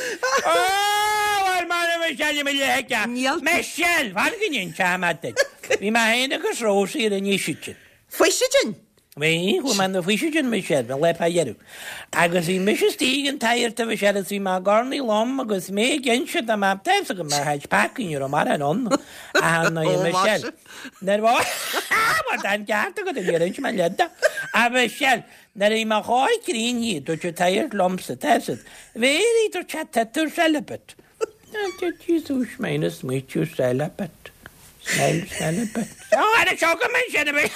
Ó, bhuel mara Michelle, mo leithscéal. Níl. Michelle, fan go n-inseoidh mé duit. Bhí mé féin agus Rosie ar an Fhuisicin. Fuisicin? Bhí, chuaigh mé 'na Fuisicin Michelle, an lá fá dheireadh. Agus bhí mise istigh ag an tsagart a Mhichelle agus bhí mé ag urnaí liom agus mé ag inse dá mbeadh tá fhios agam mar tháid peacaí ní raibh mórán ann ach ar ndóigh Michelle. Nuair a bhuel tá an ceart agat níor inse mé leid dó. A Mhichelle, nuair a bhí mo chóir críochnaithe dúirt an tsagart liomsa, tá fhios agat, Mary, dúirt sé, tá tú celibate. Jesus minus smaoitiú celibate. Smell celibate. Ó, ar an seo go mbeidh sin a bheith.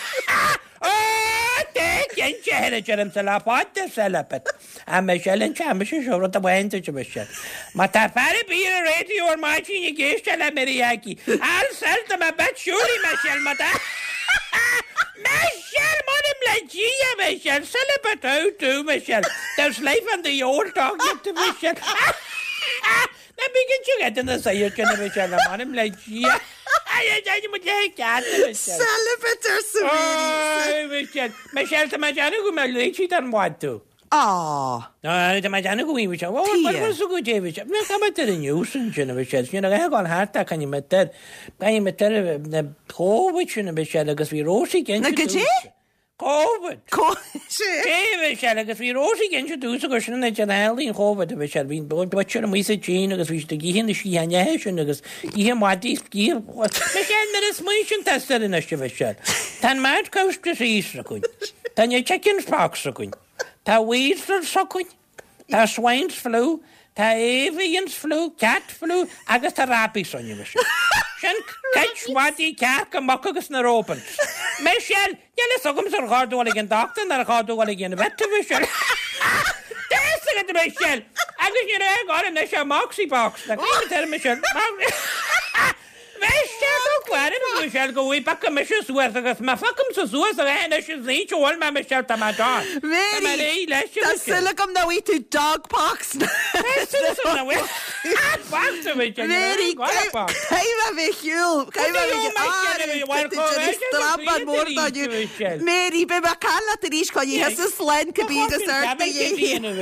Ó, dé cinnte a deirimse le fada celibate. A Michelle an team mise seo rud amháin duit a Michelle. Má tá fear ar bith ar an raidió ar maidin ag éisteacht le Mary Aggie, I'll sell them a bit surely Michelle má tá Michelle, m'anam le Dia Michelle, celibate how do Michelle. There's life on the old dog yet Michelle. Ná bí cinnte go dtí na saoir sin a bhí sé le m'anam le Dia. Celibate arsa Mary. Ó, Michelle, Michelle, tá mé ag déanamh go mbeidh léití don bhád tú. Á. Tá mé ag déanamh go bhfuil Michelle. Ó, mar bhfuil sa go dté Michelle. Ná tá mé ar an news ansin a Michelle. Sin a ghabháil thart ach caithfidh mé tar, caithfidh mé tar na Covid sin a Michelle agus bhí Rosie Na go dté? Covid. Sé. A Mhichelle agus bhí Rosie ag inse domhsa gur sin an áit ar tharla an Covid a Mhichelle. Bhí an butcher amuigh sa tSín agus bhí siad ag ithe na sciatháin eithe sin agus ag ithe maidí is ag ithe Michelle nuair a smaoiníonn tusa air anois a Mhichelle. Tá an mad cow disease againn. Tá na chicken pox againn. Tá weasels againn. Tá swine's flu, tá avian's flu, cat flu agus tá rabies ann, a Mhichelle. Sin cuid madaí, cearca, muc agus na robins. Michelle, níl fhios agamsa ar chóir dul ag an dochtúir nó ar chóir dul ag an vet, a Mhichelle. Tá fhios agat, a Mhichelle! Agus ní raibh ag anois ach moxie box. Tá cén t-air, Michelle? Michelle, tá clár ar an Michelle go bhfuil paca mise suas agus má phiocaimse suas a bheith anois is ní bhfuil mé Michelle tá mé done. Tá mé Mary, réidh leis tá Michelle. súil agam nach bhfaighidh tú dog pox. Tá súil agam nach bhfuil pox a Michelle, ní Mary, raibh aon pox. caithfidh mé a bheith ar shiúl, caithfidh mé a bheith Michelle, ar bhí bhfuil déanamh strabán mór dó inniu. Mary, beidh mé ag caint leat arís coinnigh thusa slán cibé agus ort a dhéanamh.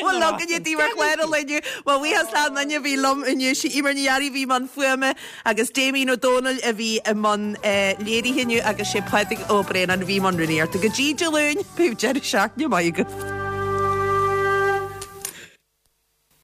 Bhuel, againne daoibh ar chlár an lae inniu. Mo bhuíochas le an duine a bhí liom inniu, sí Eimear Ní Fhearraigh a bhí i mbun fuaime agus Damien Ó Dónaill a bhí i mbun léirithe inniu agus sé Pádraig Ó Braonáin a bhí i mbun rúnaíochta. Go dtí Dé Luain, bíodh deireadh seachtaine maith agaibh.